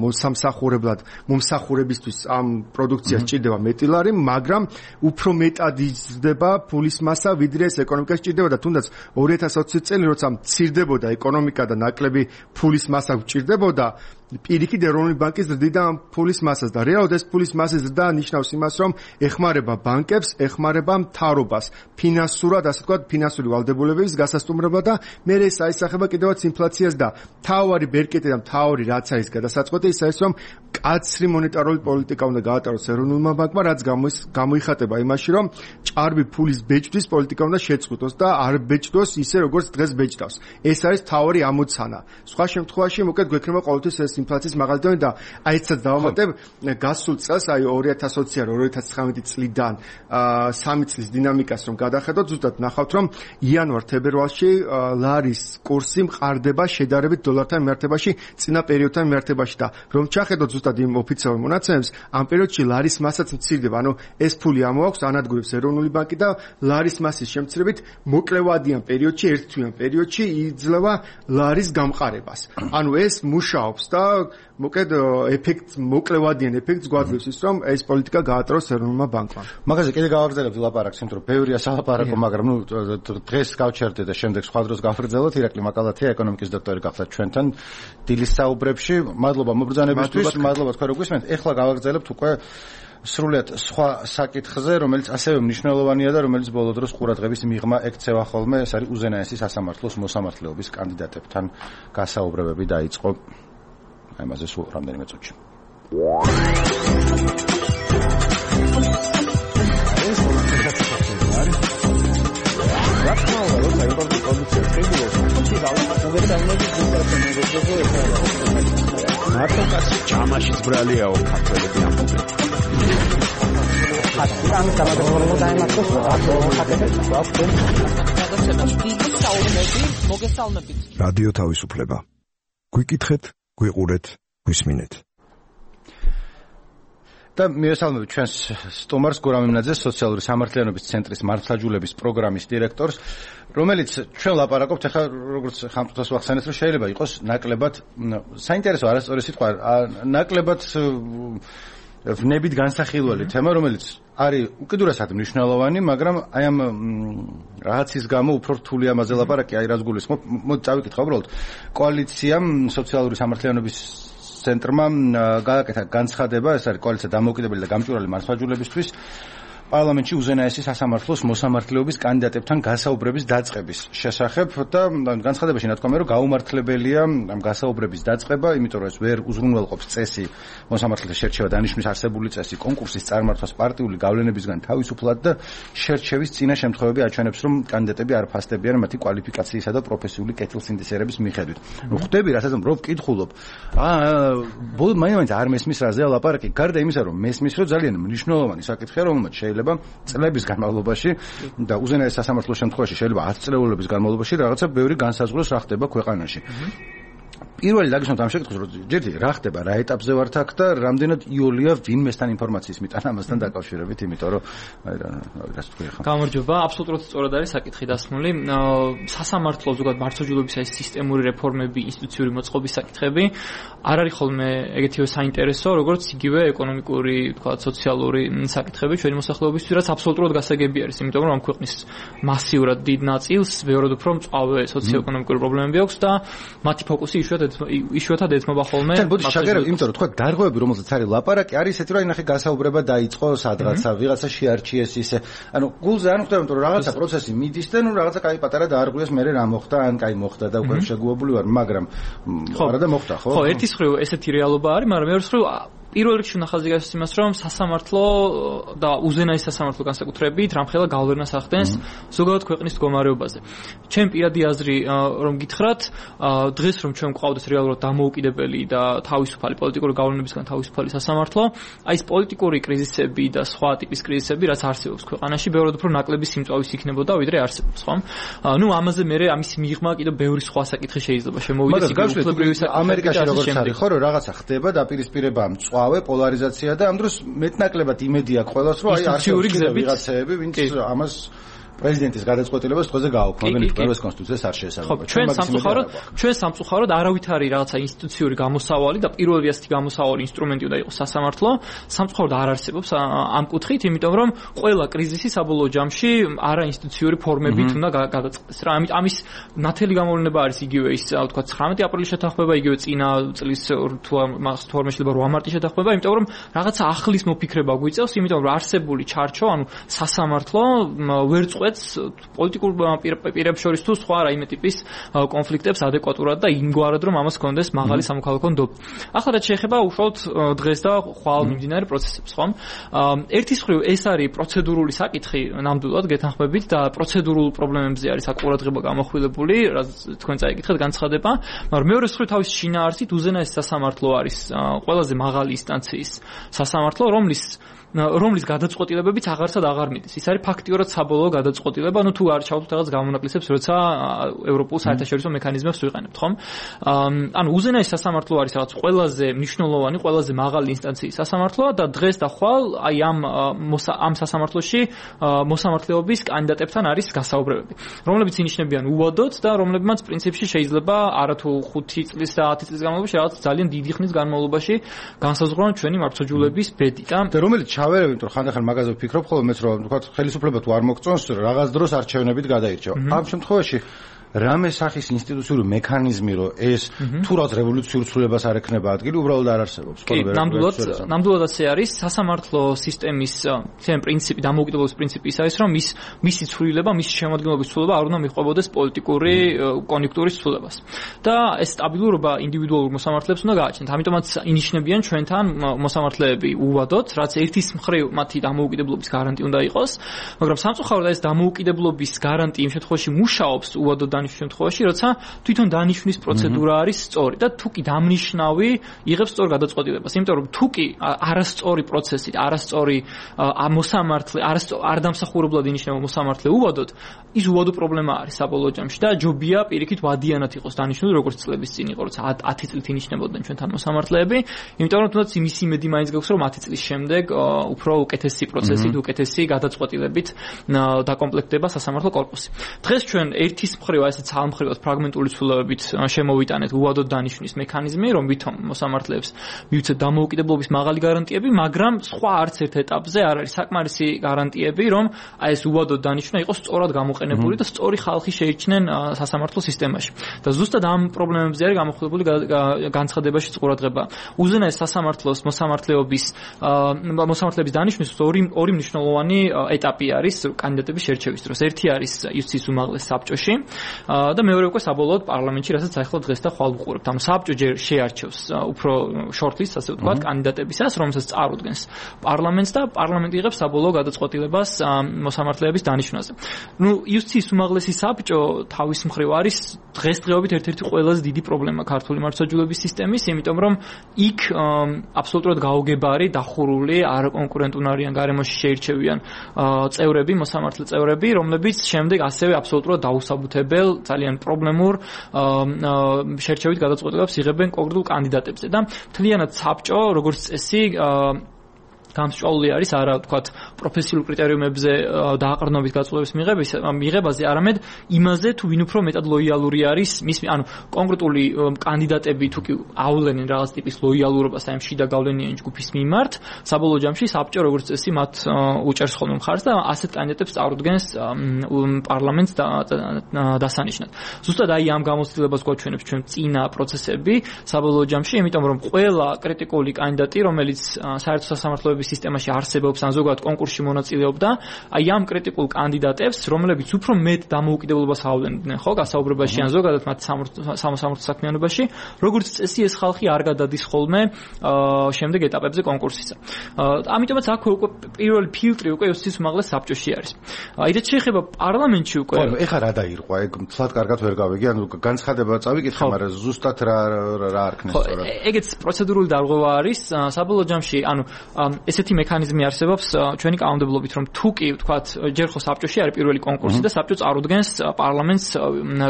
მომსახურებისთვის ამ პროდუქციას ჭირდება მეტი ლარი მაგრამ უფრო მეტად იზრდება ფულის მასა ვიდრე ეს ეკონომიკას ჭირდება და თუნდაც 2020 წელი როცა მცირდებოდა ეკონომიკა და ნაკლები ფულის მასა გჭირდებოდა პირიქით ეროვნული ბანკის ზრდიდა ფულის მასას და რეალურად ეს ფულის მასის ზრდა ნიშნავს იმას რომ ეხმარება ბანკებს, ეხმარება მთავრობას ფინანსურად, ასე ვთქვათ, ფინანსური ვალდებულებების გასასტუმრებლად და მე ეს აისახება კიდევაც ინფლაციას და თავარი ბერკეტი და თავარი რაც არის გადასაწყვეტი ის არის რომ კაცრი მონეტარული პოლიტიკა უნდა გაატაროს ეროვნულმა ბანკმა რაც გამოიხატება იმაში რომ ჭარბი ფულის ბეჭდვის პოლიტიკა უნდა შეწყვიტოს და არ ბეჭდოს ისე როგორც დღეს ბეჭდავს ეს არის თავარი ამოცანა სხვა შემთხვევაში მოკეთ გვექნება ყოველთვის ეს ინფლაციის მაღალდონე და აი ეცაც დავამატებ გასულ წელს აი 2020-2019 წლიდან 3 წლის დინამიკას რომ გადახედოთ ზუსტად ნახავთ რომ იანვარ-თებერვალში ლარის კურსი მყარდება შედარებით დოლართან მიმართებაში წინა პერიოდთან მიმართებაში და რომ ჩახედოთ ზუსტად იმ ოფიციალურ მონაცემებს ამ პერიოდში ლარის მასაც მცირდება ანუ ეს ფული ამოაქვს ანადგურებს ეროვნული ბანკი და ლარის მასის შემცირებით მოკლევადიან პერიოდში ერთთვიან პერიოდში იძლევა ლარის გამყარებას ანუ ეს მუშაობს და მოკედ ეფექტს მოკლევადიან ეფექტს გვაძლევს ის რომ ეს პოლიტიკა გაატაროს ეროვნულმა ბანკმა. მაგაზე კიდე გავაგრძელებთ ლაპარაკს, იმიტომ რომ ბევრია სალაპარაკო, მაგრამ დღეს გავჩერდეთ და შემდეგ სხვა დროს გავაგრძელოთ. ირაკლი მაკალათია, ეკონომიკის დოქტორი გახლავთ ჩვენთან დილის საუბრებში. მადლობა მობრძანებისთვის, მადლობა თქვენ რომ გვისმენთ. ეხლა გავაგრძელებთ უკვე სრულიად სხვა საკითხზე, რომელიც ასევე მნიშვნელოვანია და რომელიც ბოლო დროს ყურადღების მიღმა ექცევა ხოლმე, ეს არის უზენაესი სასამართლოს მოსამართლეობის კანდიდატებთან გასაუბრებები დაიწყო. აი მასე სულ რამდენიმე წუთში. მარტო კაცი ჯამაშიც ბრალიაო ქართველები ამბობენ. ამის დამატებულად დაემართოს რადიო თავისუფლება. გვიკითხეთ, გვიყურეთ, გვისმინეთ. და მიესალმებით ჩვენს სტუმარს გურამ იმნაძეს, სოციალური სამართლიანობის ცენტრის მართლაჯულების პროგრამის დირექტორს, რომელიც ჩვენ ლაპარაკობთ ახლა როგორც ხამწუთას ვახსენეთ, რომ შეიძლება იყოს ნაკლებად საინტერესო არასწორი სიტყვა, ნაკლებად ვნებით განსახილველი თემა, რომელიც არის უკიდურესად მნიშვნელოვანი, მაგრამ აი ამ რაღაცის გამო უფრო რთული ამაზე ლაპარაკი, აი რაც გულისხმობ, მოდი წავიკითხა უბრალოდ. კოალიციამ სოციალური სამართლიანობის ცენტრმა გააკეთა განცხადება, ეს არის კოალიცია დამოუკიდებელი და გამჭვირვალე მართლმსაჯულებისთვის პარლამენტში უზენაესი სასამართლოს მოსამართლეობის კანდიდატებთან გასაუბრების დაწყების შესახებ და განცხადებაში ნათქვამია, რომ გაუმართლებელია ამ გასაუბრების დაწყება, იმიტომ რომ ეს ვერ უზრუნველყოფს წესი მოსამართლეთა შერჩევა დანიშნვის არსებული წესი კონკურსის წარმართვას პარტიული გავლენებისგან თავისუფლად და შერჩევის წინა შემთხვევები აჩვენებს, რომ კანდიდატები არ ფასდებიან მათი კვალიფიკაციისა და პროფესიული კეთილსინდისერების მიხედვით. ხვდები, რასაც რომ ვკითხულობ, ბოლოდ მაინც არ მესმის რაზეა ლაპარაკი, გარდა იმისა, რომ მესმის, რომ ძალიან მნიშვნელოვანი საკითხია, რომელმაც შეიძლება წლების განმავლობაში და უზენაეს სასამართლოს შემთხვევაში შეიძლება 10 წლების განმავლობაში რაღაცა ბევრი განსაზღვროს რა ხდება ქვეყანაში. პირველი დაგისვამთ ამ შეკითხვას, რომ ჯერ რა ხდება, რა ეტაპზე ვართ აქ და რამდენად იოლია ვინმესთან ინფორმაციის მიტანა ამასთან დაკავშირებით, იმიტომ რომ რას თქვი ხა. გამარჯობა, აბსოლუტურად სწორად არის საკითხი დასმული. სასამართლო ზოგადად მართლმსაჯულების ეს სისტემური რეფორმები, ინსტიტუციური მოწყობის საკითხები არ არის ხოლმე ეგეთივე საინტერესო, როგორც იგივე ეკონომიკური, თქვა, სოციალური საკითხები ჩვენი მოსახლეობისთვის, რაც აბსოლუტურად გასაგები არის, იმიტომ რომ ამ ქვეყნის მასიურად დიდ ნაწილს ბევრად უფრო მწვავე სოციო-ეკონომიკური პრობლემები აქვს და მათი ფოკუსი იშვიათად ეთმობა ხოლმე. თან ბოდი შეგერებ, იმიტომ რომ თქვა დარღვევები, რომელზეც არის ლაპარაკი, არის ესეთი, რომ ნახე გასაუბრება დაიწყო სადღაცა, ვიღაცა შეარჩიეს ისე. ანუ გულზე არ ხვდება, იმიტომ რომ რაღაცა პროცესი მიდის და ნუ რაღაცა კაი პატარა დაარღვიეს, მერე რა მოხდა, ან კაი მოხდა და უკვე შეგუებული ვარ, მაგრამ არა და მოხდა, ხო? ხო, ერთის მხრივ ესეთი რეალობა არის, მაგრამ მეორე მხრივ პირველ რიგში უნდა ხაზი გასცეს იმას, რომ სასამართლო და უზენაესი სასამართლო განსაკუთრებით რამხელა გავლენას ახდენს ზოგადად ქვეყნის მდგომარეობაზე. ჩემ პირადი აზრი რომ გითხრათ, დღეს რომ ჩვენ გვყავდეს რეალურად დამოუკიდებელი და თავისუფალი პოლიტიკური გავლენებისგან თავისუფალი სასამართლო, აი ეს პოლიტიკური კრიზისები და სხვა ტიპის კრიზისები, რაც არსებობს ქვეყანაში, ბევრად უფრო ნაკლები სიმწვავის იქნებოდა, ვიდრე არსებობს, ხო? ნუ ამაზე მე ამის მიღმა კიდევ ბევრი სხვა საკითხი შეიძლება შემოვიდეს, იგივე ამერიკაში როგორც არის, ხო, რომ რაღაცა ხდება დაპირისპირება პოლარიზაცია და ამ დროს მეტნაკლებად იმედი აქვს ყველას, რომ აი არსებობს ვიღაცები, ვინც ამას პრეზიდენტის გადაწყვეტილებას დღეზე გააუქმებენ, ეს კონსტიტუციას არ შეესაბამება. ჩვენ სამწუხაროდ არავით არის რაღაცა ინსტიტუციური გამოსავალი და პირველი ასეთი გამოსავალი ინსტრუმენტი უნდა იყოს სასამართლო. სამწუხაროდ არ არსებობს ამ კუთხით, იმიტომ რომ ყველა კრიზისი საბოლოო ჯამში არაინსტიტუციური ფორმებით უნდა გადაწყდეს. რა, ამის ნათელი გამოვლენა არის იგივე ის, თქვა 19 აპრილის შეთანხმება, იგივე წინა წლის თორმე შეიძლება 8 მარტის შეთანხმება, იმიტომ რომ რაღაცა ახლის მოფიქრება გვიწევს, იმიტომ რომ არსებული ჩარჩო, ანუ სასამართლო ვერ წყვეტს პოლიტიკურ პირებს შორის თუ სხვა რაიმე ტიპის კონფლიქტებს ადეკვატურად და იმგვარად რომ ამას კონდეს მაღალი სამოქალაქო ნდობა. ახლა რაც შეეხება უშუალოდ დღეს და ხვალ მიმდინარე პროცესებს, ხო? ერთის მხრივ ეს არის პროცედურული საკითხი, ნამდვილად გეთანხმებით და პროცედურულ პრობლემებზე არის საკურადღება გამოხვილებული, რაც თქვენ წაიკითხეთ განცხადება, მაგრამ მეორეს მხრივ თავის შინაარსით უზენაესი სასამართლო არის ყველაზე მაღალი ინსტანციის სასამართლო, რომლის რომლის გადაწყვეტილებებიც აღარსად აღარ მიდის. ის არის ფაქტიურად საბოლოო გადაწყვეტილება, თუ არ ჩავთვლით რაღაც გამონაკლისებს, როცა ევროპულ საერთაშორისო მექანიზმებს ვიყენებთ, ხომ? უზენაესი სასამართლო არის რაღაც ყველაზე მნიშვნელოვანი, ყველაზე მაღალი ინსტანციის სასამართლო და დღეს და ხვალ აი ამ სასამართლოში მოსამართლეობის კანდიდატებთან არის გასაუბრებები, რომლებიც ინიშნებიან უვადოდ და რომლებმაც პრინციპში შეიძლება არათუ 5 წლის და 10 წლის განმავლობაში რაღაც ძალიან დიდი ხნის განმავლობაში განსაზღვრონ ჩვენი მართლმსაჯულების ბედი და რომელიც ჩავერევით, რომ ხანდახან მაგაზე ვფიქრობ, ხოლმე მეც რომ თქვა ხელისუფლება თუ არ მოგწონს, რაღაც დროს არჩევნებით გადაირჩევა. ამ შემთხვევაში რამე სახის ინსტიტუციური მექანიზმი, რომ ეს თუ რაღაც რევოლუციურ ცვლილებას არ ექნება ადგილი, უბრალოდ არ არსებობს. ნამდვილად ასე არის. სასამართლო სისტემის თემ პრინციპი, დამოუკიდებლობის პრინციპი ის არის, რომ მისი ცვლილება, მისი შემადგენლობის ცვლილება არ უნდა მიჰყვებოდეს პოლიტიკური კონიუნქტურის ცვლილებას. და ეს სტაბილურობა ინდივიდუალურ მოსამართლეებს უნდა გააჩნდეთ. ამიტომაც ინიშნებიან ჩვენთან მოსამართლეები უვადოდ, რაც ერთის მხრივ მათი დამოუკიდებლობის გარანტი უნდა იყოს, მაგრამ სამწუხაროდ ეს დამოუკიდებლობის გარანტი იმ შემთხვევაში მუშაობს უვადოდ დანიშნვის შემთხვევაში, როცა თვითონ დანიშნვის პროცედურა არის სწორი და თუ კი დამნიშნავი იღებს სწორ გადაწყვეტილებას. იმიტომ რომ თუ კი არასწორი პროცესით, არასწორი მოსამართლე, არ დამსახურებლად ინიშნება მოსამართლე უვადოდ, ის უვადო პრობლემა არის საბოლოო ჯამში და ჯობია პირიქით ვადიანად იყოს დანიშნული, როგორც წლების წინ იყო, როცა 10 წლით ინიშნებოდნენ ჩვენთან მოსამართლეები, იმიტომ რომ თუნდაც იმის იმედი მაინც გაქვს, რომ 10 წლის შემდეგ უფრო უკეთესი პროცესით, უკეთესი გადაწყვეტილებით დაკომპლექტდება სასამართლო კორპუსი. დღეს ჩვენ ერთის მხრივ ესეც ამხრივად ფრაგმენტული ცვლილებებით შემოვიტანეთ უვადოდ დანიშნვის მექანიზმი, რომ ვითომ მოსამართლეებს მივცეთ დამოუკიდებლობის მაღალი გარანტიები, მაგრამ სხვა არც ერთ ეტაპზე არ არის საკმარისი გარანტიები, რომ აი ეს უვადოდ დანიშნა იყოს სწორად გამოყენებული და სწორი ხალხი შეიჩნენ სასამართლო სისტემაში. და ზუსტად ამ პრობლემებზე არის გამოხდებული განცხადებაში ყურადღება. უზენაეს სასამართლოს მოსამართლეების დანიშნვის ორი მნიშვნელოვანი ეტაპი არის კანდიდატების შერჩევის დროს. ერთი არის იუსტიციის უმაღლეს საბჭოში და მეორე უკვე საბოლოოდ პარლამენტში, რასაც ახლა დღეს და ხვალ ვუყურებთ. ანუ საბჭო ჯერ შეარჩევს უფრო შორტლისტს, ასე ვთქვათ, კანდიდატებისას, რომელსაც წარუდგენს პარლამენტს და პარლამენტი იღებს საბოლოო გადაწყვეტილებას მოსამართლეების დანიშნვაზე. იუსტიციის უმაღლესი საბჭო თავის მხრივ არის დღესდღეობით ერთ-ერთი ყველაზე დიდი პრობლემა ქართული მართლმსაჯულების სისტემის, იმიტომ რომ იქ აბსოლუტურად გაუგებარი, დახურული, არაკონკურენტუნარიან გარემოში შეირჩევიან წევრები, მოსამართლე წევრები, რომლებიც შემდეგ ასევე აბსოლუტურად დაუსაბუთებელ, ძალიან პრობლემურ შერჩევით გადაწყვეტილებას იღებენ კონკრეტულ კანდიდატებზე და მთლიანად საბჭო, როგორც წესი, გამსჭვალული არის არა ვთქვათ პროფესიულ კრიტერიუმებზე დააყრდნობით გაწყვეტილების მიღებაზე, არამედ იმაზე თუ ვინ უფრო მეტად ლოიალური არის ანუ კონკრეტული კანდიდატები თუ კი ავლენენ რაღაც ტიპის ლოიალურობას აი შიდა გავლენიანი ჯგუფის მიმართ, საბოლოო ჯამში საბჭო როგორც წესი მათ უჭერს ხოლმე მხარს და ასეთ კანდიდატებს წარუდგენს პარლამენტს დასანიშნად. ზუსტად აი ამ გამოცდილებას გვაჩვენებს ჩვენ წინა პროცესები საბოლოო ჯამში, იმიტომ რომ ყველა კრიტიკული კანდიდატი, რომელიც საერთო სასამართლოების სისტემაში არსებობს ან ზოგადად კონკურსში მონაწილეობდა, აი ამ კრიტიკულ კანდიდატებს, რომლებიც უფრო მეტ დამოუკიდებლობას ავლენდნენ, ხო, გასაუბრებაში ან ზოგადად მათ სამოსამართლო საქმიანობაში, როგორც წესი ეს ხალხი არ გადადის ხოლმე შემდეგ ეტაპებზე კონკურსისა. ამიტომაც აქ უკვე პირველი ფილტრი უკვე იუსტიციის უმაღლეს საბჭოში არის. აი რაც შეეხება პარლამენტში უკვე ეხლა რა დაირყვა, ეგ თლად კარგად ვერ გავიგე, ანუ განცხადება წავიკითხე, მაგრამ ზუსტად რა არქნეს სწორად. ეგეც პროცედურული დარღვევა არის საბოლოო ჯამში, ანუ ესეთი მექანიზმი არსებობს ჩვენი კანონმდებლობით, რომ თუ კი ვთქვათ ჯერ ხო საბჭოში არის პირველი კონკურსი და საბჭო წარუდგენს პარლამენტს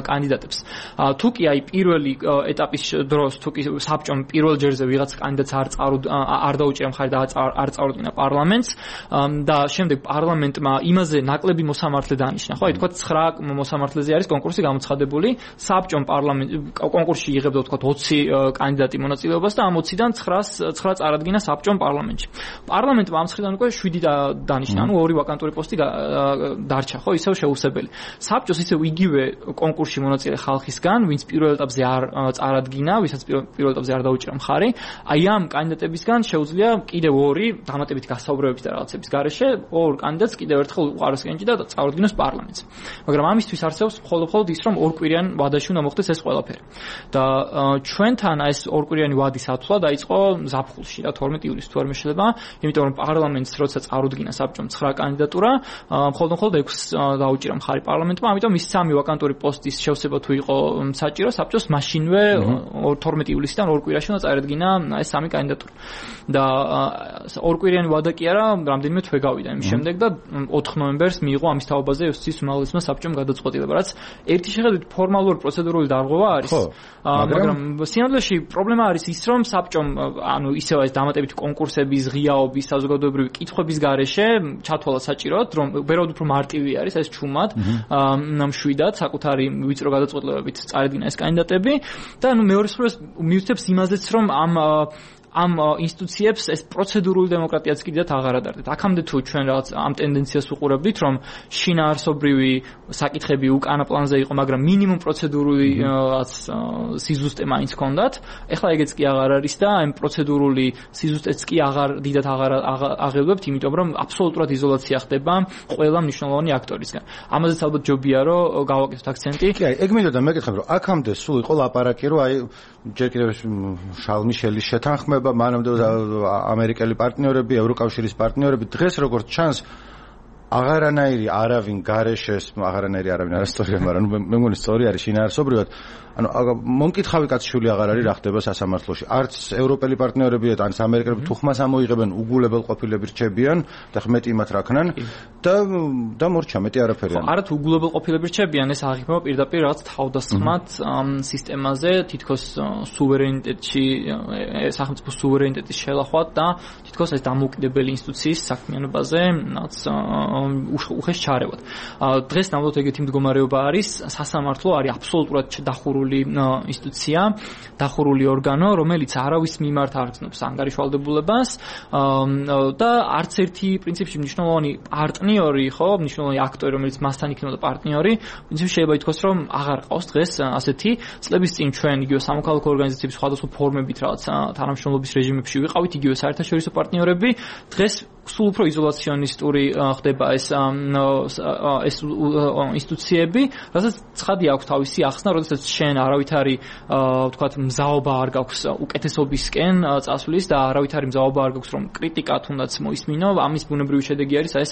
კანდიდატებს. თუ კი აი პირველი ეტაპის დროს თუ კი საბჭომ პირველ ჯერზე ვიღაც კანდიდატს არ დაუჭირა მხარი და არ წარუდგინა პარლამენტს და შემდეგ პარლამენტმა იმაზე ნაკლები მოსამართლე დანიშნა, ხო, აი ვთქვათ 9 მოსამართლეზე არის კონკურსი გამოცხადებული, საბჭომ კონკურსში იღებდა ვთქვათ 20 კანდიდატი მონაწილეობას და ამ 20-დან 9 წარადგინა საბჭომ პარლამენტში. პარლამენტმა ამ მხრიდან უკვე 7 დანიშნა, ანუ 2 ვაკანტური პოსტი დარჩა, ხო, ისევ შეუსებელი. საბჭოს ისევ იგივე კონკურსში მონაწილე ხალხისგან, ვინც პირველ ეტაპზე არ წარადგინა, ვისაც პირველ ეტაპზე არ დაუჭირა მხარი, აი ამ კანდიდატებისგან შეუძლია კიდევ 2 დამატებით გასაუბრებების და რაღაცების გარეშე 2 კანდიდატს კიდევ ერთხელ უყაროს კენჭი და წარუდგინოს პარლამენტს. მაგრამ ამისთვის არსებობს მხოლოდ ის, რომ 2 კვირიან ვადაში უნდა მოხდეს ეს ყველაფერი. და ჩვენთან ეს 2 კვირიანი ვადის ათვლა დაიწყო ზაფხულში და 12 ივლისს თუ არ მეშლება, იმიტომ რომ პარლამენტს როცა წარუდგინა წარადგინა საბჭომ 9 კანდიდატურა, მხოლოდ 6 დაუჭირა მხარი პარლამენტმა, ამიტომ ის 3 ვაკანტური პოსტის შევსება თუ იყო საჭირო, საბჭოს მაშინვე 12 ივლისიდან 2 კვირაში უნდა წარადგინა ეს 3 კანდიდატურა. და 2 კვირიანი ვადა კი არა, რამდენიმე თვე გავიდა იმის შემდეგ და 4 ნოემბერს მიიღო ამის თაობაზე იუსტიციის უმაღლესმა საბჭომ გადაწყვეტილება, რაც ერთი შეხედვით ფორმალური პროცედურული დარღვევა არის. მაგრამ სინამდვილეში პრობლემა არის ის, რომ საბჭომ ისევ ეს დამატებითი კონკურსების, ღიაობის, საზოგადოებრივი კითხვების გარეშე ჩათვალა საჭიროდ, რომ ვერაუდ უფრო მარტივი არის ეს ჩუმად, მშვიდად საკუთარი ვიწრო გადაწყვეტილებებით წარადგინა ეს კანდიდატები და მეორე მხარეს მივცემს იმაზეც, რომ ამ ინსტიტუციებს ეს პროცედურული დემოკრატიაც კიდევ აღარ ადარდეთ. აქამდე თუ ჩვენ რაღაც ამ ტენდენციას უყურებდით, რომ შინაარსობრივი საკითხები უკანა პლანზე იყო, მაგრამ მინიმუმ პროცედურული სიზუსტე მაინც ჰქონდათ. ეხლა ეგეც კი აღარ არის და ამ პროცედურული სიზუსტეც კი დიდად აღარ აღელვებთ, იმიტომ რომ აბსოლუტურად იზოლაცია ხდება ყველა მნიშვნელოვანი აქტორისგან. ამაზეც ალბათ ჯობია რომ გავაკეთოთ აქცენტი. კი, ეგ მინდოდა მეკითხებ, რომ აქამდე სულ იყო ლაპარაკი, რომ აი ჯერ კიდევ შარლ მიშელის შეთანხმება, მანამდე ამერიკელი პარტნიორები, ევროკავშირის პარტნიორები, დღეს როგორც ჩანს აღარანაირი არავინ გარეშეს, აღარანაირი არავინ არასწორია, მაგრამ მე მგონი სწორი არის შინაარსობრივად. ანუ მომკითხავი კაცშვილი აღარ არის რა ხდება სასამართლოში. არც ევროპელი პარტნიორები და არც ამერიკელები თუ ხმას ამოიღებენ, უგულებელ ყოფილები რჩებიან და მეტი იმათ რაქნან და მორჩა მეტი არაფერი. არა თუ უგულებელ ყოფილები რჩებიან, ეს აღიქმება პირდაპირ რაღაც თავდასხმად სისტემაზე, თითქოს სუვერენიტეტში, სახელმწიფო სუვერენიტეტის შელახვად და თითქოს ეს დამოუკიდებელი ინსტიტუციის საქმიანობაზე რაღაც უხეშ ჩარევად. დღეს ნამდვილად ეგეთი მდგომარეობა არის, სასამართლო არის აბსოლუტურად დახურული ინსტიტუცია, დახურული ორგანო, რომელიც არავის მიმართ არ გრძნობს ანგარიშვალდებულებას და არც ერთი პრინციპში მნიშვნელოვანი პარტნიორი, მნიშვნელოვანი აქტორი, რომელიც მასთან იქნებოდა პარტნიორი, პრინციპში შეიძლება ითქვას, რომ აღარ ყავს დღეს ასეთი. წლების წინ ჩვენ იგივე სამოქალაქო ორგანიზაციების სხვადასხვა ფორმებით რაღაც თანამშრომლობის რეჟიმებში ვიყავით, იგივე საერთაშორისო პარტნიორები, დღეს სულ უფრო იზოლაციონისტური ხდება ეს ინსტიტუციები, რასაც ცხადი აქვს თავისი ახსნა, როდესაც შენ არავითარი ვთქვათ მზაობა არ გაქვს უკეთესობისკენ წასვლის და არავითარი მზაობა არ გაქვს რომ კრიტიკა თუნდაც მოისმინო, ამის ბუნებრივი შედეგი არის ეს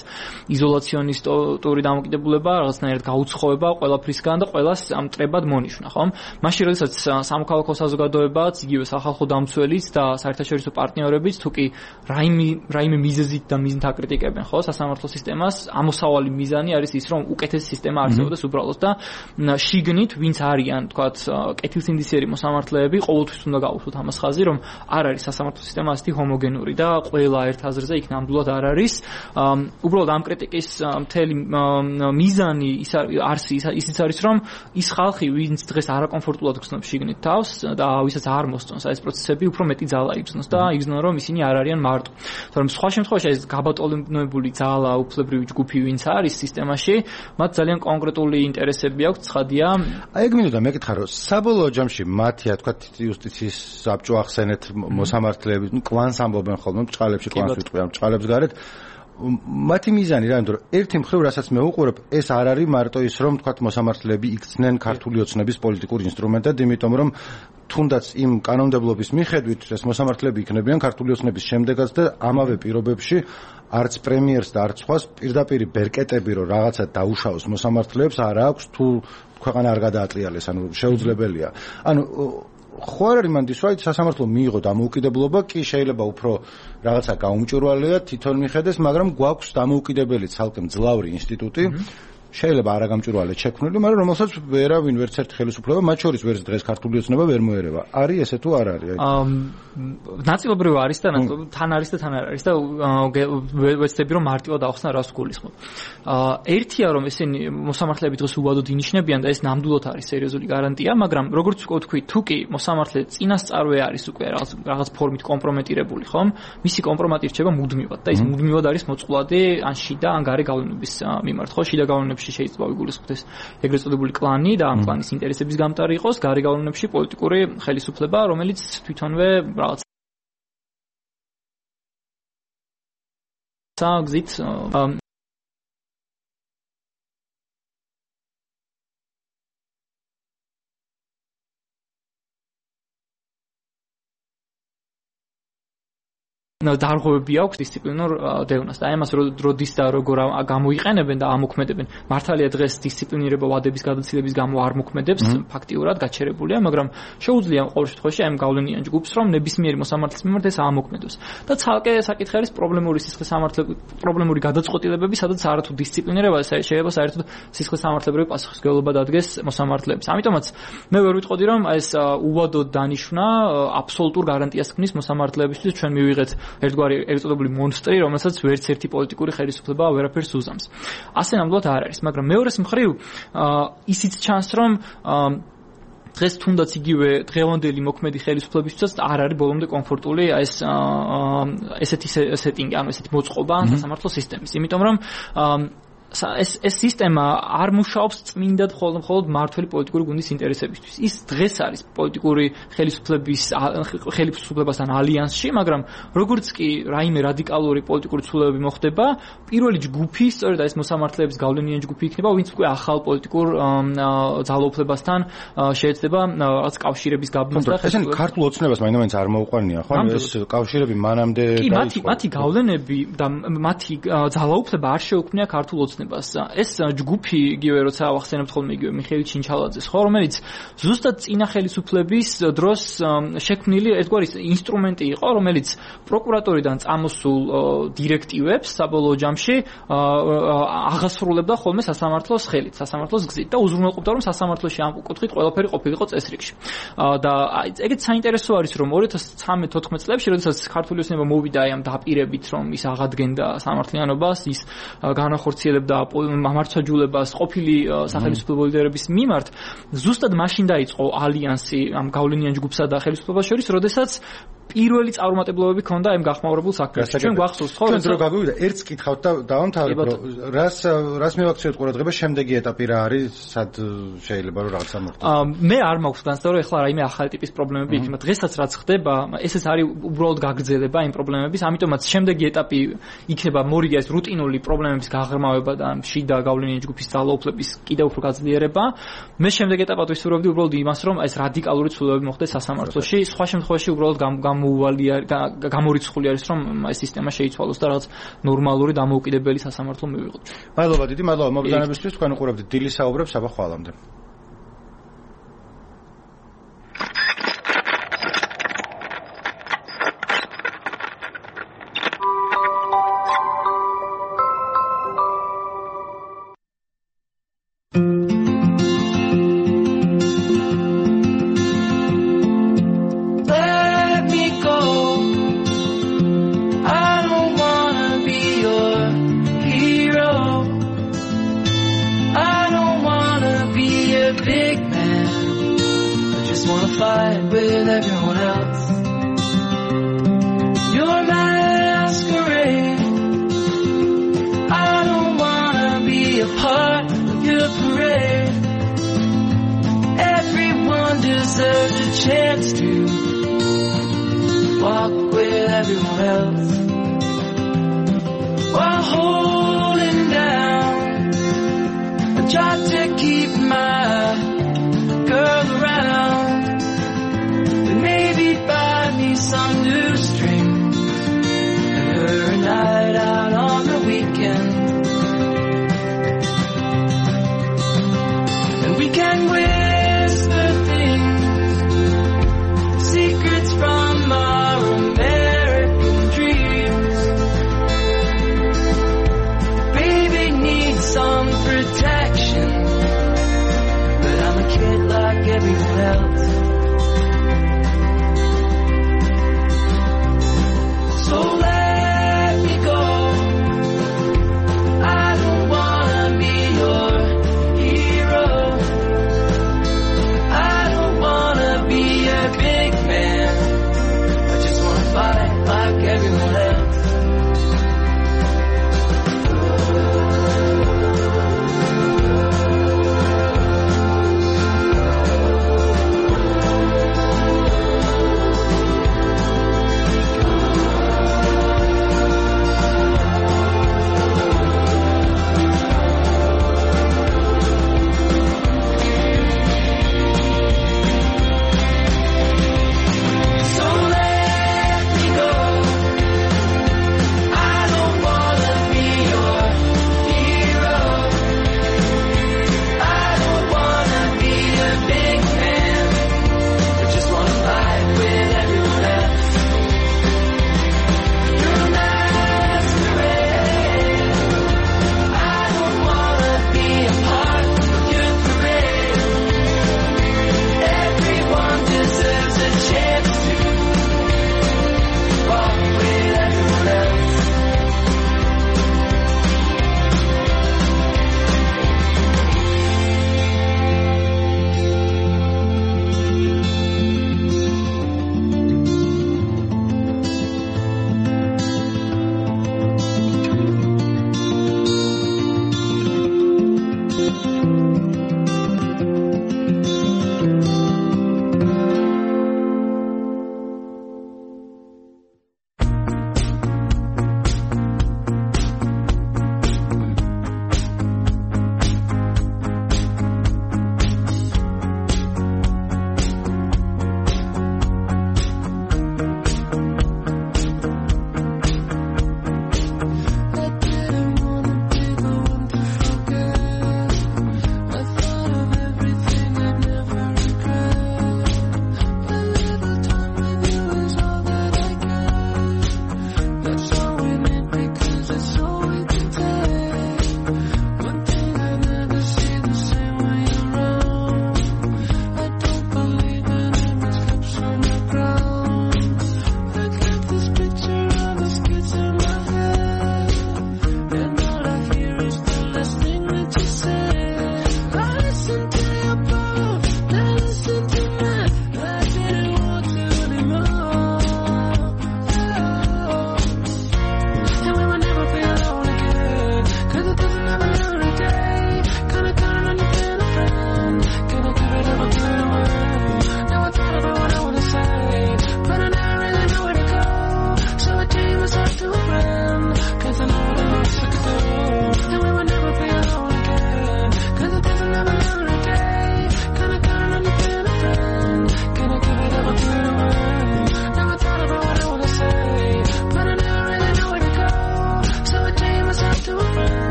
იზოლაციონისტური დამოკიდებულება, რაღაცნაირად გაუცხოვება ყველაფრისგან და ყველას ამტრებად მონიშნა, ხომ? მაშინ როდესაც სამოქალაქო საზოგადოებაც, იგივე სახალხო დამცველიც და საერთაშორისო პარტნიორებიც თუკი რაიმე მიზეზით და მიზნით აკრიტიკებენ, ხო, სასამართლო სისტემას, ამოსავალი მიზანი არის ის, რომ უკეთესი სისტემა არსებობდეს უბრალოდ და შიგნით ვინც არიან, თქვათ, კეთილსინდისიერი მოსამართლეები, ყოველთვის უნდა გაუშვოთ ამას ხაზი, რომ არ არის სასამართლო სისტემა ასეთი ჰომოგენური და ყველა ერთ აზრზე იქ ნამდვილად არ არის. უბრალოდ ამ კრიტიკის მთელი მიზანი ისიც არის, რომ ის ხალხი, ვინც დღეს არაკომფორტულად გრძნობს შიგნით თავს და ვისაც არ მოსწონს ეს პროცესები, უფრო მეტი ძალა იგრძნოს და იგრძნონ, რომ ისინი არ არიან მარტო. თორემ სხვა შემთხვევაში ეს გაბატონებული ძალა, უფლებრივი ჯგუფი ვინც არის სისტემაში, მათ ძალიან კონკრეტული ინტერესები აქვს, ცხადია. აი ეგ მინდოდა მეკითხა, რომ საბოლოო ჯამში მათია, თქვა იუსტიციის საბჭო ახსენეთ მოსამართლეები, კლანს ამბობენ ხოლმე, ბჭყალებში კლანს ვიტყვიან, ბჭყალებს გარეთ. მათი მიზანი რა, იმიტომ რომ ერთი მხრივ რასაც მე უყურებ, ეს არ არის მარტო ის, რომ თქვა მოსამართლეები იქცნენ ქართული ოცნების პოლიტიკურ ინსტრუმენტად, იმიტომ რომ თუნდაც იმ კანონმდებლობის მიხედვით ეს მოსამართლეები იქნებიან ქართული ოცნების შემდეგაც და ამავე პირობებში არც პრემიერს და არც სხვას პირდაპირ ბერკეტები რომ რაღაცა დაუშავოს მოსამართლეებს არ აქვს თუ ქვეყანა არ გადაატრიალეს, ანუ შეუძლებელია. ანუ ხო არ არის მანდის რომ სასამართლო მიიღო დამოუკიდებლობა, კი შეიძლება უფრო რაღაცა გაუმჭვირვალეა თვითონ მიხედეს, მაგრამ გვაქვს დამოუკიდებელი ცალკე მძლავრი ინსტიტუტი, შეიძლება არაგამჭვირვალე შექმნილი, მაგრამ რომელსაც ვერავინ ვერც ერთი ხელისუფლება, მათ შორის ვერც დღეს ქართული ოცნება ვერ მოერევა. არის ესე თუ არ არის? ნაწილობრივ არის და თან არის და თან არ არის და ვეცდები რომ მარტივად ახსნა რას გულისხმობ. ერთია რომ ესენი მოსამართლეები დღეს უვადოდ ინიშნებიან და ეს ნამდვილად არის სერიოზული გარანტია, მაგრამ როგორც ვთქვი, თუ კი მოსამართლე წინასწარვე არის უკვე რაღაც ფორმით კომპრომეტირებული, ხომ? მისი კომპრომატი რჩება მუდმივად და ის მუდმივად არის მოწყვლადი ან შიდა ან გარე გავლენების მიმართ, ხო? შიდა გავლენებში შეიძლება ვიგულისხმოთ ეს ეგრეთ წოდებული კლანი და ამ კლანის ინტერესების გამტარი იყოს, გარე გავლენებში პოლიტიკური ხელისუფლება, რომელიც თვითონვე რაღაც გზით დარღვევები აქვს დისციპლინურ დევნას და ამას როდის და როგორ გამოიყენებენ და ამოქმედებენ. მართალია დღეს დისციპლინირება ვადების გადაცილების გამო არ მოქმედებს, ფაქტიურად გაჩერებულია, მაგრამ შეუძლია ყოველ შემთხვევაში ამ გავლენიან ჯგუფს, რომ ნებისმიერი მოსამართლის მიმართ ეს აამოქმედოს. და ცალკე საკითხი არის პრობლემური გადაწყვეტილებები, სადაც არათუ დისციპლინირება შეიძლება საერთოდ სისხლისამართლებრივი პასუხისმგებლობა დადგეს მოსამართლეებს. ამიტომაც მე ვერ ვიტყოდი, რომ ეს უვადოდ დანიშნა აბსოლუტურ გარანტიას ქმნის მოსამართლეებისთვის, ჩვენ მივიღეთ ერთგვარი ერთწოდებული მონსტრი, რომელსაც ვერც ერთი პოლიტიკური ხელისუფლება ვერაფერს უზამს. ასე ნამდვილად არ არის, მაგრამ მეორეს მხრივ ისიც ჩანს, რომ დღეს თუნდაც იგივე დღევანდელი მოქმედი ხელისუფლებისთვისაც არ არის ბოლომდე კომფორტული ესეთი სეტინგი, ანუ ესეთი მოწყობა სასამართლო სისტემის. იმიტომ რომ ეს სისტემა არ მუშაობს წმინდად მხოლოდ მმართველი პოლიტიკური გუნდის ინტერესებისთვის. ის დღეს არის პოლიტიკური ხელისუფლებასთან ალიანსში, მაგრამ როგორც კი რაიმე რადიკალური პოლიტიკური ცვლილებები მოხდება, პირველი ჯგუფი, სწორედ ეს მოსამართლეების გავლენიანი ჯგუფი იქნება, ვინც უკვე ახალ პოლიტიკურ ძალაუფლებასთან შეეცდება რაღაც კავშირების გაბმას და ესენი ქართულ ოცნებას მაინც არ მოუყვანია, ხო? ეს კავშირები მანამდე მათი გავლენები და მათი ძალაუფლება არ შეუქმნია ქართულ ეს ჯგუფი იგივე როცა ავახსენებთ ხოლმე იგივე მიხეილ ჩინჩალაძეს, ხო, რომელიც ზუსტად წინა ხელისუფლების დროს შექმნილი ერთგვარი ინსტრუმენტი იყო, რომელიც პროკურატორიდან წამოსულ დირექტივებს საბოლოო ჯამში აღასრულებდა ხოლმე სასამართლოს ხელით, სასამართლოს გზით და უზრუნველყოფდა, რომ სასამართლოში ამ კუთხით ყველაფერი ყოფილიყო წესრიგში. და ეგეც საინტერესო არის, რომ 2013-14 წლებში, როდესაც ქართული ოცნება მოვიდა ამ დაპირებით, რომ ის აღადგენდა სამართლიანობას, ის განახორციელებდა მამარცვაჯულებას ყოფილი სახელმწიფო ლიდერების მიმართ, ზუსტად მაშინ დაიწყო ალიანსი ამ გავლენიან ჯგუფსა და ხელისუფლებას შორის, როდესაც პირველი წარუმატებლობები ქონდა ამ გახმაურებულ საქმეში. ჩვენ გვახსოვს, ხო, ჩვენ დრო გაგვივიდა, ერთს კითხავთ და დავამთავრებ, რას მივაქციოთ ყურადღება, შემდეგი ეტაპი რა არის, სად შეიძლება რომ რაღაცა მოხდეს. მე არ მაქვს განცდა, რომ ეხლა რაიმე ახალი ტიპის პრობლემები იქნება. დღესაც რაც ხდება, ესეც არის უბრალოდ გაგრძელება იმ პრობლემების, ამიტომაც შემდეგი ეტაპი იქნება მორიგე ეს რუტინული პრობლემების გაღრმავება და შიდა გავლენიანი ჯგუფის ძალაუფლების კიდევ უფრო გაძლიერება. მე შემდეგ ეტაპად ვისურვებდი უბრალოდ იმას, რომ ეს რადიკალური ცვლილებები მოხდეს სასამართლოში. სხვა შემთხვევაში უბრალოდ გამორიცხული არის, რომ ეს სისტემა შეიცვალოს და რაღაც ნორმალური დამოუკიდებელი სასამართლო მივიღოთ. მადლობა დიდი, მადლობა მობრძანებისთვის, თქვენ უყურებთ დილის საუბრებს, აბა ხვალამდე.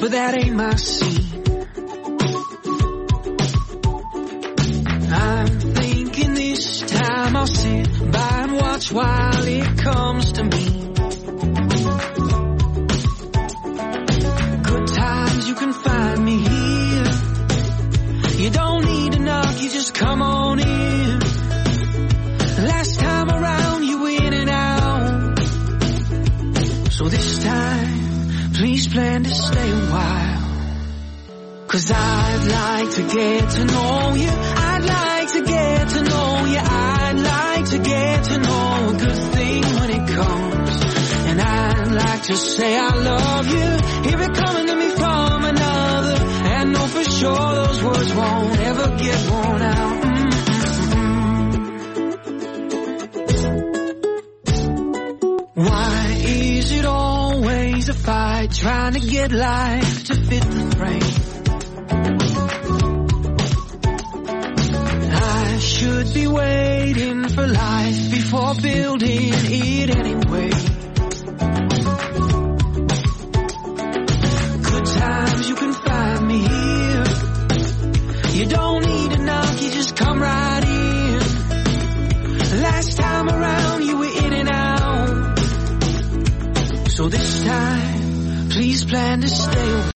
but that ain't my scene. I'm thinking this time I'll sit by and watch while it comes to me. Good times you can find me here. You don't need to knock, you just come on in. Last time around you in and out, so this time please plan to stay a while. 'Cause I'd like to get to know you, I'd like to get to know you, I'd like to get to know a good thing when it comes. And I'd like to say I love you, hear it coming to me from another, and know for sure those words won't ever get worn out. Why is it always a fight trying to get life to fit the frame? I should be waiting for life before building it anyway. Good times you can find me here. You don't need to knock, you just come right in. Last time around you were in and out, so this time please plan to stay away.